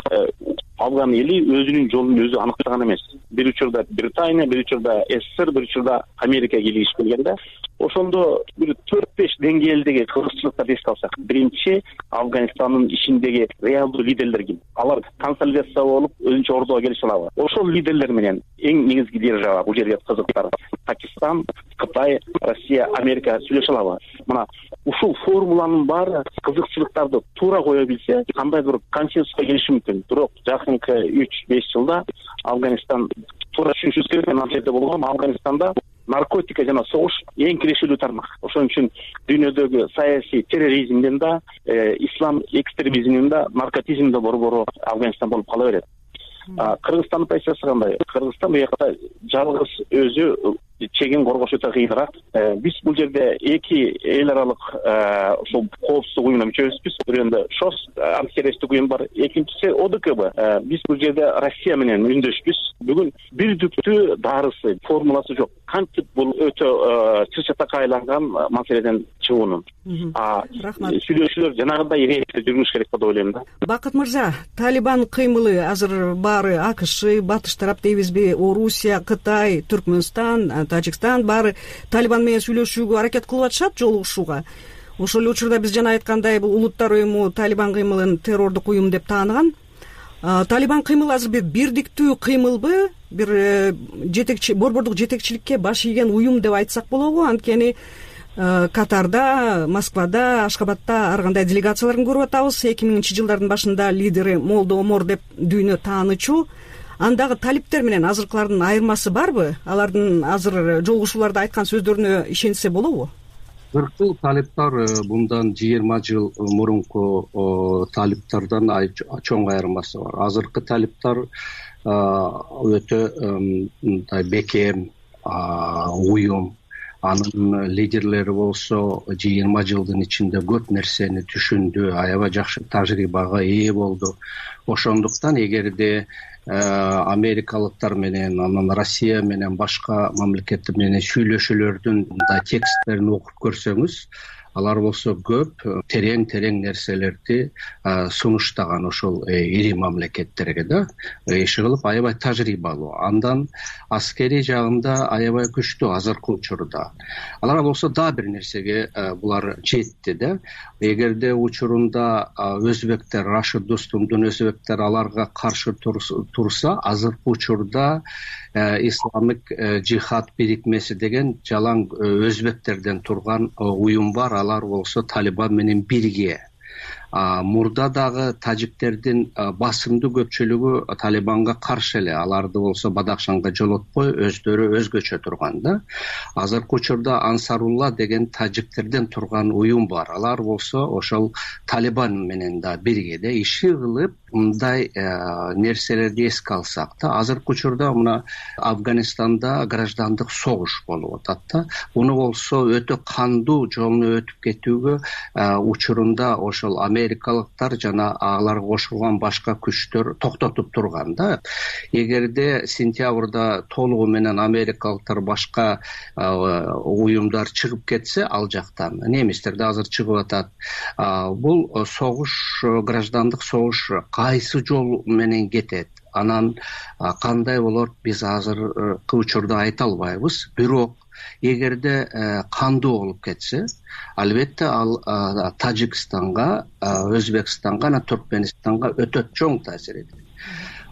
Афган эли өзүнүн жолун өзү аныктаган эмес. Бир учурда Британия, бир учурда СССР, бир учурда Америка кийлигишип келген да. Ошондо бир 4-5 деңгээлдеги кызыкчылыктарды эске алсак, биринчи Афганистандын ичиндеги реалдуу лидерлер ким? Алар консолидация болуп өзүнчө ордого келише алабы? Ошол лидерлер менен эң негизги держава бул жерге кызыктар. Пакистан, Кытай, Россия, Америка сүйлөшө алабы? Мына ушул формуланын баары кызыкчылыктарды туура кое билсе, кандайдыр консенсуска келиши мүмкүн. Бирок жакынкы 3-5 жылда Афганистан туура түшүнүшүбүз керек. Ал жерде болгон Афганистанда наркотика жана согуш эң кирешилүү тармак. Ошон үчүн дүйнөдөгү саясий терроризмден да, ислам экстремизминен да, наркотизмден да борбору Афганистан болуп кала берет. Кыргызстандын позициясы кандай? Кыргызстан бу жакта жалгыз өзү чегин коргош өтө кыйыныраак. Биз бул жерде эки эл аралык ушул коопсуздук уюмуна мүчөбүзбүз. Бирөөндө ШОС антитеррористтик уюм бар, экинчиси ОДКБ. Биз бул жерде Россия менен үндөшпүз. Бүгүн бир түптүү дарысы, формуласы жок. Кантип бул өтө чыр-чатакка айланган маселеден чыгуунун. Рахмат. Сүйлөшүүлөр жанагындай рейсте жүрүш керек деп ойлойм да. Бакыт мырза, Талибан кыймылы азыр баары АКШ, батыш тарап дейбизби, Орусия, Кытай, Түркмөнстан, Тажикстан баары Талибан менен сүйлөшүүгө аракет кылып атышат, жолугушууга. Ошол эле учурда биз жана айткандай бул Улуттар уюму Талибан кыймылын террордук уюм деп тааныган. Талибан кыймылы азыр бир бирдиктүү кыймылбы, бир жетекчи, борбордук жетекчиликке баш ийген уюм деп айтсак болобу? Анткени Катарда, Москвада, Ашкабадда ар кандай делегацияларын көрүп атабыз. 2000 жылдардын башында лидери Молдо Омор деп дүйнө таанычу. Андагы талиптер менен азыркылардын айырмасы барбы? Алардын азыр жолугушууларда айткан сөздөрүнө ишенсе болобу? Азыркы талиптар bundan 20 жыл мурунку талиптардан чоң айырмасы бар. Азыркы талиптар өтө мындай бекем уюм. Анын лидерлери болсо 20 жылдын ичинде көп нерсени түшүндү, аябай жакшы тажрыйбага ээ болду. Ошондуктан эгерде америкалыктар менен, анан Россия менен, башка мамлекеттер менен сүйлөшүүлөрдүн тексттерин окуп көрсөңүз, алар болсо көп терең нерселерди сунуштаган ошол ири мамлекеттерге да. Иши кылып аябай тажрыйбалуу. Андан аскерий жагында аябай күчтүү азыркы учурда. Алар болсо да бир нерсеге булар жетти да. Эгерде учурунда өзбектер, Рашид Достумдун өзбектер аларга каршы турса, азыркы учурда исламик жихад бирикмеси деген жалаң өзбектерден турган уюм бар. Алар болсо Талибан менен бирге. Мурда дагы тажиктердин басымдуу көпчүлүгү Талибанга каршы эле. Аларды болсо Бадахшанга жолотпой, өздөрү өзгөчө турган да. Азыркы учурда Ансарулла деген тажиктерден турган уюм бар. Алар болсо ошол Талибан менен да бирге иши кылып, мындай нерселерди эске алсак да, азыркы учурда мына Афганистанда граждандык согуш болуп атат да. Муну болсо өтө кандуу жолуна өтүп кетүүгө учурунда ошол америкалыктар жана аларга кошулган башка күчтөр токтотуп турган да. Эгерде сентябрда толугу менен америкалыктар башка уюмдар чыгып кетсе, ал жактан немистер да азыр чыгып атат. Бул согуш, граждандык согуш кайсы жол менен кетет, анан кандай болот, биз азыркы учурда айта албайбыз. Бирок эгерде кандуу болуп кетсе, албетте ал Тажикстанга, Өзбекстанга, жана Түркменистанга өтө чоң таасир этет.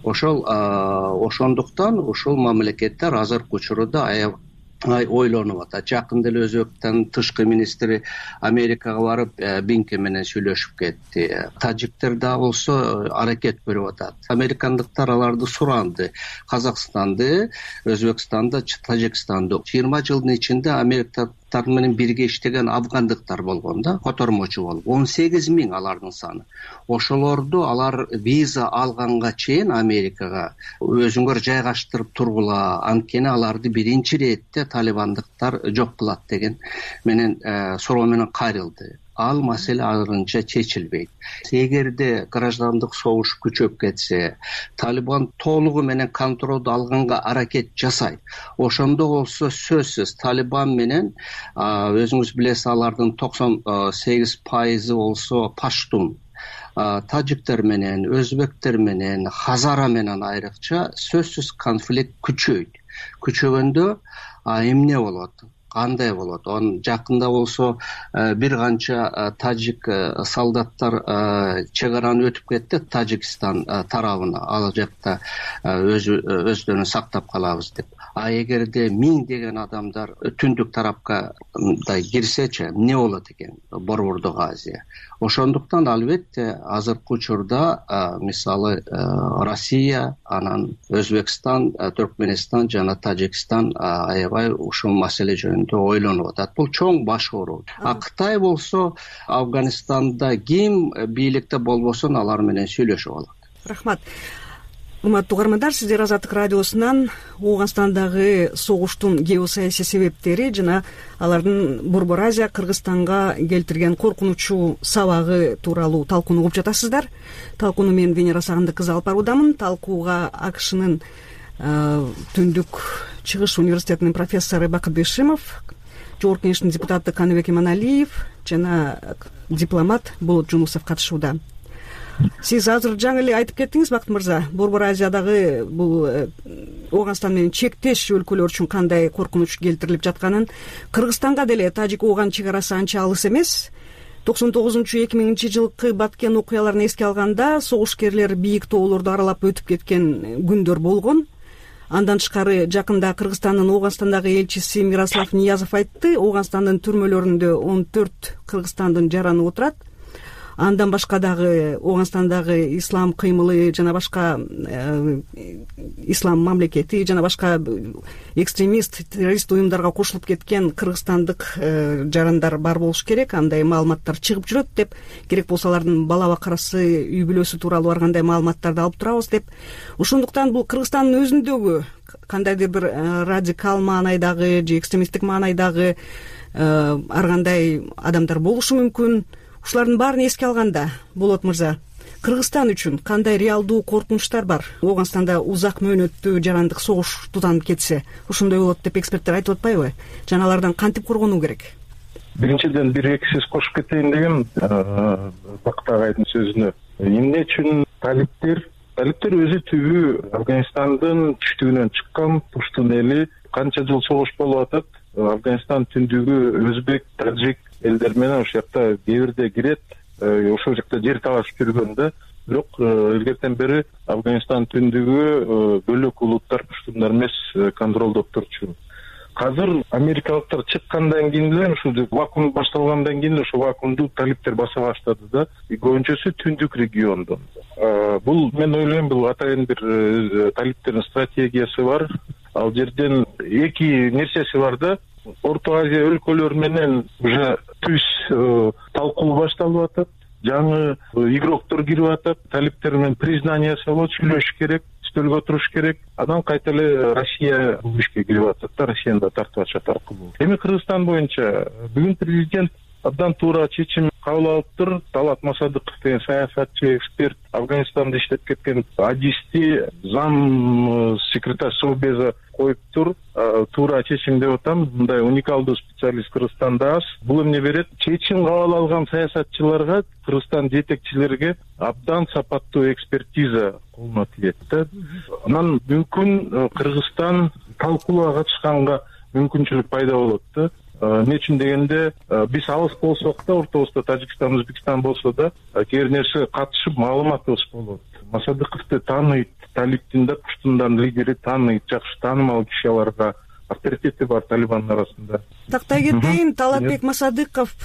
Ошондуктан ушул мамлекеттер азыркы учурда аябай ойлонуп атат. Жакында эле Өзбектин тышкы министри Америкага барып, Бинкен менен сүйлөшүп кетти. Тажиктер да болсо аракет көрүп атат. Американдыктар аларды суранды. Казакстанды, Өзбекстанды, Тажикстанды 20 жылдын ичинде америкалыктар менен бирге иштеген афгандыктар болгон да, котормочу болуп. 18 000 алардын саны. Ошолорду алар виза алганга чейин Америкага өзүңөр жайгаштырып тургула, анткени аларды биринчи иретте талибандыктар жок кылат деген менен суроо менен кайрылды. Ал маселе азырынча чечилбейт. Эгерде граждандык согуш күчөп кетсе, Талибан толугу менен контролду алганга аракет жасайт. Ошондо болсо сөзсүз Талибан менен өзүңүз билесиз, алардын 98% болсо паштун, тажиктер менен, өзбектер менен, хазара менен айрыкча сөзсүз конфликт күчөйт. Күчөгөндө эмне болот? Кандай болот? Жакында болсо бир канча тажик солдаттар чек араны өтүп кетти Тажикстан тарабына. Ал жакта өздөрүн сактап калабыз деп. Эгерде 1000 адамдар түндүк тарапка кирсечи, эмне болот экен Борбордук Азия? Ошондуктан албетте азыркы учурда мисалы Россия, анан Өзбекстан, Түркменистан жана Тажикстан аябай ушул маселе жөнүндө ойлонуп атат. Бул чоң баш оору. Кытай болсо Афганистанда ким бийликте болбосун алар менен сүйлөшүп алат. Рахмат. урматтуу угармандар, сиздер Азаттык радиосунан Ооганстандагы согуштун геосаясий себептери жана алардын Борбор Азия Кыргызстанга келтирген коркунучу сабагы тууралуу талкууну угуп жатасыздар. Талкууну мен Венера Сагындык кызы алып баруудамын. Талкууга АКШнын Түндүк Чыгыш университетинин профессору Бакыт Бешимов, Жогорку Кеңештин депутаты Каныбек Иманалиев жана дипломат Болот Жунусов катышууда. Сиз азыр жаңы эле айтып кеттиңиз, Бакыт мырза, Борбор Азиядагы бул Ооганстан менен чектеш өлкөлөр үчүн кандай коркунуч келтирилип жатканын, Кыргызстанга деле Тажик-Ооган чек арасы анча алыс эмес. 99-2000-жылкы Баткен окуяларын эске алганда, согушкерлер бийик тоолорду аралап өтүп кеткен күндөр болгон. Андан тышкары жакында Кыргызстандын Ооганстандагы элчиси Мирослав Ниязов айтты, Ооганстандын түрмөлөрүндө 14 Кыргызстандын жараны отурат. Андан башка дагы Ооганстандагы ислам кыймылы жана башка ислам мамлекети жана башка экстремист, террорист уюмдарга кошулуп кеткен кыргызстандык жарандар бар болуш керек. Андай маалыматтар чыгып жүрөт деп, керек болсо алардын бала бакарасы, үй бүлөсү тууралуу ар кандай маалыматтарды алып турабыз деп. Ошондуктан бул Кыргызстандын өзүндөгү кандайдыр бир радикал маанайдагы же экстремисттик маанайдагы ар кандай адамдар болушу мүмкүн. Ушулардын баарын эске алганда, Болот мырза, Кыргызстан үчүн кандай реалдуу коркунучтар бар? Ооганстанда узак мөөнөттүү жарандык согуш тутанып кетсе, ошондой болот деп эксперттер айтып атпайбы? Жана алардан кантип коргонуу керек? Биринчиден бир-эки сөз кошуп кетейин дегем Бакыт агайдын сөзүнө. Эмне үчүн талиптер өзү түбү Афганистандын түштүгүнөн чыккан пуштун эли, канча жыл согуш болуп атат. Афганистан түндүгү өзбек, тажик элдер менен ошол жакта кээ бирде кирет, ошол жакта жер талашып жүргөн да. Бирок илгертен бери Афганистан түндүгү бөлөк улуттар, пуштундар эмес, контролдоп турчу. Азыр америкалыктар чыккандан кийин эле, ушул вакуум башталгандан кийин ошол вакуумду талиптер баса баштады да. Көбүнчөсү түндүк региондон. Бул мен ойлойм, бул атайын бир талиптердин стратегиясы бар. Ал жерден эки нерсеси бар да. Орто Азия өлкөлөрү менен уже түз талкуу башталып атат. Жаңы игроктор кирип атат. Талиптер менен признаниясы болот, сүйлөшүш керек, стөлгө туруш керек. Анан кайта эле Россия бул ишке кирип атат да, Россияны да тартып атышат аркылуу. Эми Кыргызстан боюнча бүгүн президент абдан туура чечим кабыл алыптыр. Талат Масадыков деген саясатчы, эксперт, Афганистанды иштеп кеткен адисти зам секретарь Совбеза коюптур. Туура чечим деп атам. Мындай уникалдуу специалист Кыргызстанда аз. Бул эмне берет? Чечим кабыл алган саясатчыларга, Кыргызстан жетекчилерге абдан сапаттуу экспертиза колуна тиет да. Анан мүмкүн Кыргызстан талкууга катышканга мүмкүнчүлүк пайда болот да. Эмне үчүн дегенде, биз алыс болсок да, ортобузда Тажикстан, Өзбекстан болсо да, кээ бир нерсе катышып маалыматыбыз болот. Масадыковду тааныйт, талиптин да, пуштундан лидери тааныйт, жакшы таанымал киши, аларга авторитети бар Талибандын арасында. Тактай кетейин, Талатбек Масадыков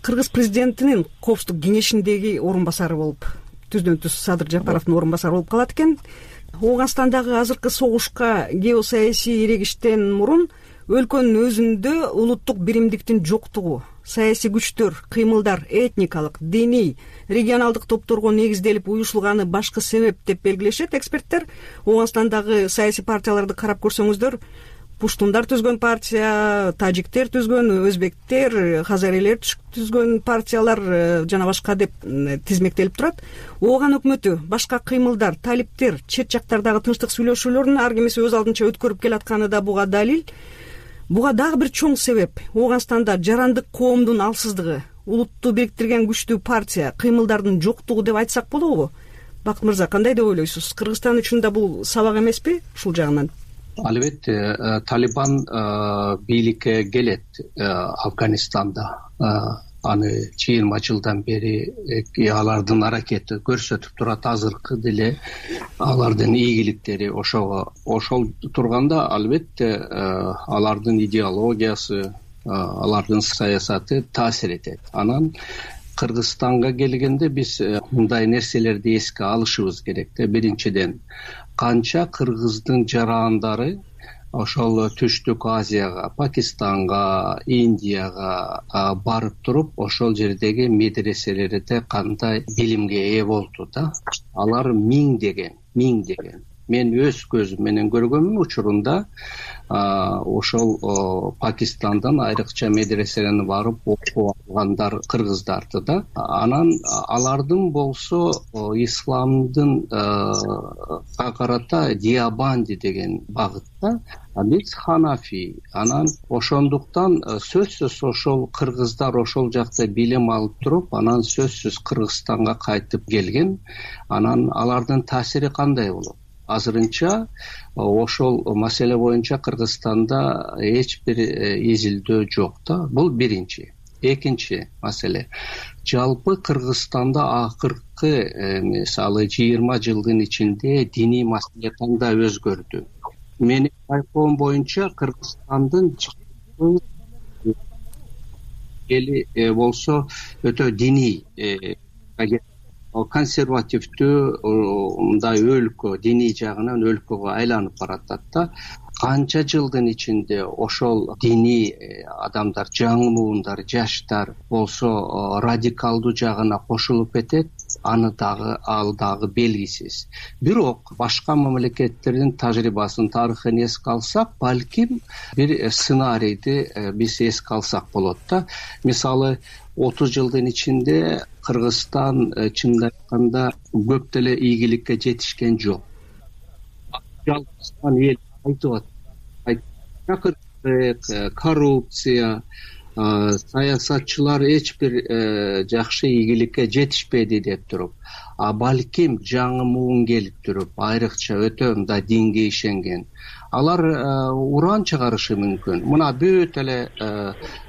Кыргыз президентинин Коопсуздук кеңешиндеги орун басары болуп, түздөн-түз Садыр Жапаровдун орун басары болуп калат экен. Ооганстандагы азыркы согушка геосаясий ирегиштен мурун өлкөнүн өзүндө улуттук биримдиктин жоктугу, саясий күчтөр, кыймылдар этникалык, диний, регионалдык топторго негизделип уюшулганы башкы себеп деп белгилешет эксперттер. Ооганстандагы саясий партияларды карап көрсөңүздөр, пуштундар түзгөн партия, тажиктер түзгөн, өзбектер, хазарилер түзгөн партиялар жана башка деп тизмектелип турат. Ооган өкмөтү, башка кыймылдар, талиптер, чет жактардагы тынчтык сүйлөшүүлөрүн ар кимиси өз алдынча өткөрүп келатканы да буга далил. Буга дагы бир чоң себеп Ооганстанда жарандык коомдун алсыздыгы, улутту бириктирген күчтүү партия, кыймылдардын жоктугу деп айтсак болобу? Бакыт мырза, кандай деп ойлойсуз? Кыргызстан үчүн да бул сабак эмеспи ушул жагынан? Албетте, Талибан бийликке келет Афганистанда. Аны 20 жылдан бери алардын аракети көрсөтүп турат. Азыркы деле алардын ийгиликтери ошол турганда, албетте алардын идеологиясы, алардын саясаты таасир этет. Анан Кыргызстанга келгенде биз мындай нерселерди эске алышыбыз керек да. Биринчиден, канча кыргыздын жарандары ошол Түштүк Азияга, Пакистанга, Индияга барып туруп ошол жердеги медреселерде кандай билимге ээ болду да. Алар миңдеген. Мен өз көзүм менен көргөнмүн учурунда ошол Пакистандан айрыкча медреселерге барып окуп алгандар кыргыздарды да. Анан алардын болсо исламдын карата Диабанди деген багытта, биз Ханафи. Анан ошондуктан сөзсүз ошол кыргыздар ошол жакта билим алып туруп, анан сөзсүз Кыргызстанга кайтып келген. Анан алардын таасири кандай болот? Азырынча ошол маселе боюнча Кыргызстанда эч бир изилдөө жок да. Бул биринчи. Экинчи маселе. Жалпы Кыргызстанда акыркы мисалы 20 жылдын ичинде диний маселе кандай өзгөрдү? Менин байкоом боюнча Кыргызстандын эли болсо өтө диний, консервативдүү мындай өлкө, диний жагынан өлкөгө айланып баратат да. Канча жылдын ичинде ошол диний адамдар, жаңы муундар, жаштар болсо радикалдуу жагына кошулуп кетет, ал дагы белгисиз. Бирок башка мамлекеттердин тажрыйбасын, тарыхын эске алсак, балким бир сценарийди биз эске алсак болот да. Мисалы 30 жылдын ичинде Кыргызстан чындап айтканда көп деле ийгиликке жетишкен жок. Жалпысынан эл айтып атат. Коррупция, саясатчылар эч бир жакшы ийгиликке жетишпеди деп туруп, балким жаңы муун келип туруп, айрыкча өтө мындай динге ишенген, алар уран чыгарышы мүмкүн. Мына бүт эле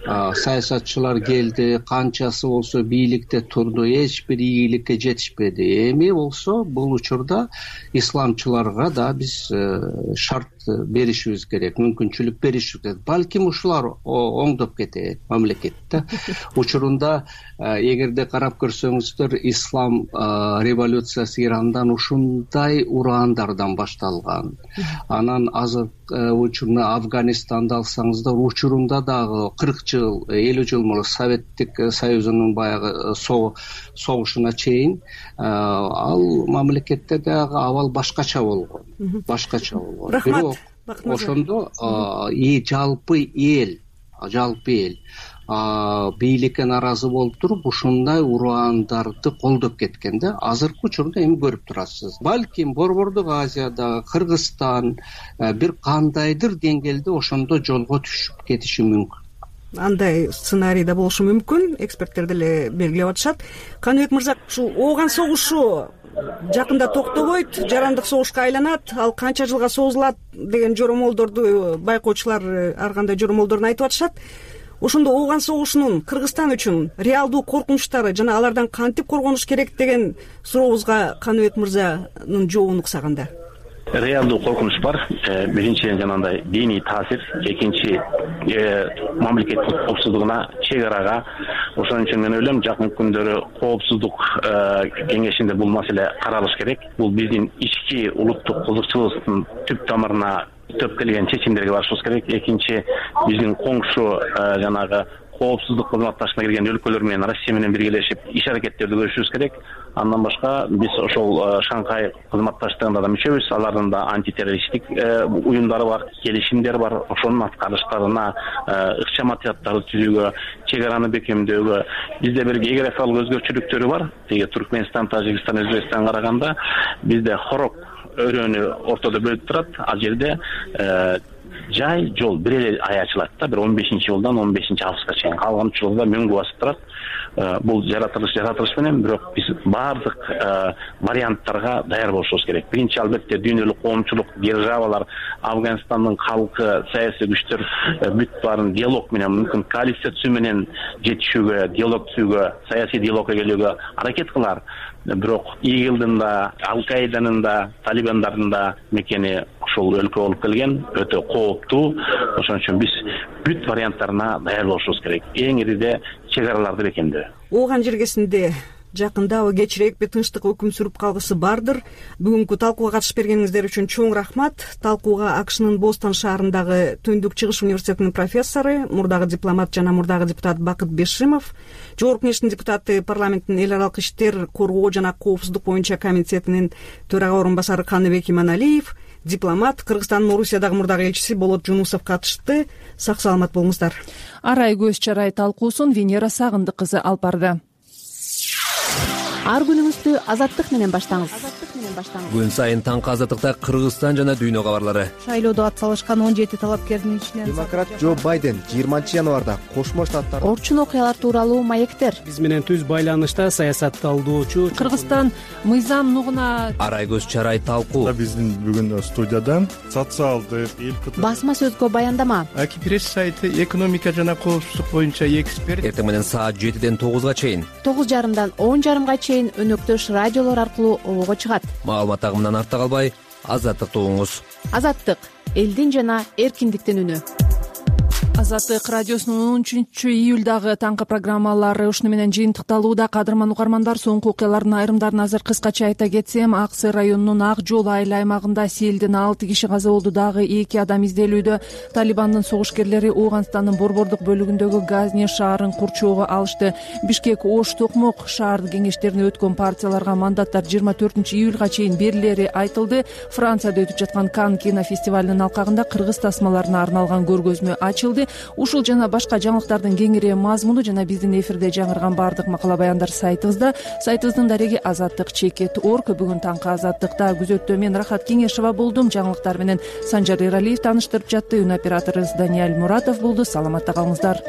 саясатчылар келди, канчасы болсо бийликте турду, эч бир ийгиликке жетишпеди. Эми болсо бул учурда исламчыларга да биз шарт беришибиз керек, мүмкүнчүлүк беришибиз керек. Балким ушулар оңдоп кетет мамлекетте. Учурунда эгерде карап көрсөңүздөр, ислам революциясы Ирандан ушундай ураандардан башталган. Анан азыр учурунда Афганистанда алсаңыздар, учурунда дагы 40 жыл, 50 жыл мурун Советтик Союзунун баягы согушуна чейин ал мамлекетте дагы абал башкача болгон. Бирок ошондо жалпы эл бийликке наразы болуп туруп, ушундай ураандарды колдоп кеткен да. Азыркы учурда эми көрүп турасыз. Балким Борбордук Азияда, Кыргызстан бир кандайдыр деңгээлде ошондо жолго түшүп кетиши мүмкүн. Андай сценарий да болушу мүмкүн, эксперттер деле белгилеп атышат. Каныбек мырза, ушул ооган согушу жакында токтобойт, жарандык согушка айланат, ал канча жылга созулат деген жоромолдорду байкоочулар ар кандай жоромолдорун айтып атышат. Ошондо ооган согушунун Кыргызстан үчүн реалдуу коркунучтары жана алардан кантип коргонуш керек деген сурообузга Каныбек мырзанын жообун уксаганда. Реалдуу коркунуч бар. Биринчиден жанагындай диний таасир, экинчи мамлекеттин коопсуздугуна, чек арага. Ошон үчүн мен ойлойм, жакын күндөрү коопсуздук кеңешинде бул маселе каралыш керек. Бул биздин ички улуттук кызыкчылыгыбыздын түп тамырына төп келген чечимдерге барышыбыз керек. Экинчи, биздин коңшу жанагы коопсуздук кызматташына кирген өлкөлөр менен Россия менен биргелешип иш аракеттерди көрүшүбүз керек. Андан башка биз ошол Шанхай кызматташтыгында да мүчөбүз. Алардын да антитеррористтик уюмдары бар, келишимдер бар. Ошонун аткарыштарына ыкчаматтарды түзүүгө, чек араны бекемдөөгө бизде бир географиялык өзгөчөлүктөрү бар. Теге Туркменстан, Тажикстан, Өзбекстанга караганда бизде хорок өрөөнү ортодо бөлүп турат. Ал жерде жай жол бир эле аячылат да, бир 15-жолдан 15-августка чейин. Калган жолда мөңгү басып турат. Бул жаратылыш менен, бирок биз баардык варианттарга даяр болушубуз керек. Биринчи албетте дүйнөлүк коомчулук, державалар, Афганистандын халкы, саясий күчтөр бүт баарын диалог менен, мүмкүн коалиция түзүү менен жетишүүгө, диалог түзүүгө, саясий диалогко келүүгө аракет кылар. Бирок ИГИЛдин да, Ал-Каиданын да, Талибандардын да мекени ушул өлкө болуп келген, өтө кооптуу. Ошон үчүн биз бүт варианттарына даяр болушубуз керек. Эң ириде чек араларды бекемдөө. Ооган жергесинде жакындабы кечирээкпи тынчтык өкүм сүрүп калгысы бардыр. Бүгүнкү талкууга катышып бергениңиздер үчүн чоң рахмат. Талкууга АКШнын Бостон шаарындагы Түндүк Чыгыш университетинин профессору, мурдагы дипломат жана мурдагы депутат Бакыт Бешимов, Жогорку Кеңештин депутаты, парламенттин эл аралык иштер, коргоо жана коопсуздук боюнча комитетинин төрага орун басары Каныбек Иманалиев, дипломат, Кыргызстандын Орусиядагы мурдагы элчиси Болот Жунусов катышты. Сак саламат болуңуздар. Арай көз чарай талкуусун Венера Сагындык кызы алып барды. Ар күнүңүздү азаттык менен баштаңыз. Күн сайын таңкы азаттыкта Кыргызстан жана дүйнө кабарлары. Шайлоодо ат салышкан 17 талапкердин ичинен демократ Джо Байден 20 январда Кошмо Штаттар орчун окуялар тууралуу маектер. Биз менен түз байланышта саясат талдоочу Кыргызстан мыйзам нугуна Арай көз чарай талкуу. Биздин бүгүн студиядан социалдык басма сөзгө баяндама. Аки пресс сайты экономика жана коопсуздук боюнча эксперт. Эртең менен саат 7ден 9га чейин, 9:30дан 10:30га чейин өнөктөш радиолор аркылуу обого чыгат. Маалымат агымынан артта калбай, азаттыкты угуңуз. Азаттык — элдин жана эркиндиктин үнү. Азаттык радиосунун 13-июлдагы таңкы программалары ушуну менен жыйынтыкталууда. Кадырман угармандар, соңку окуялардын айрымдарын азыр кыскача айта кетсем, Ак Сый районунун Ак Жол айыл аймагында селден 6 киши каза болду, дагы 2 адам изделүүдө. Талибандын согушкерлери Ооганстандын борбордук бөлүгүндөгү Газни шаарын курчоого алышты. Бишкек, Ош, Токмок шаар кеңештерине өткөн партияларга мандаттар 24-июлга чейин берилери айтылды. Францияда өтүп жаткан Кан кинофестивалынын алкагында кыргыз тасмаларына арналган көргөзмө ачылды. Ушул жана башка жаңылыктардын кеңири мазмуну жана биздин эфирде жаңырган баардык макала баяндар сайтыбызда. Сайтыбыздын дареги azattik.org. Бүгүн таңкы азаттыкта күзөттө мен Рахат Кеңешова болдум. Жаңылыктар менен Санжар Эралиев тааныштырып жатты. Үн операторубуз Даниэль Муратов болду. Саламатта калыңыздар.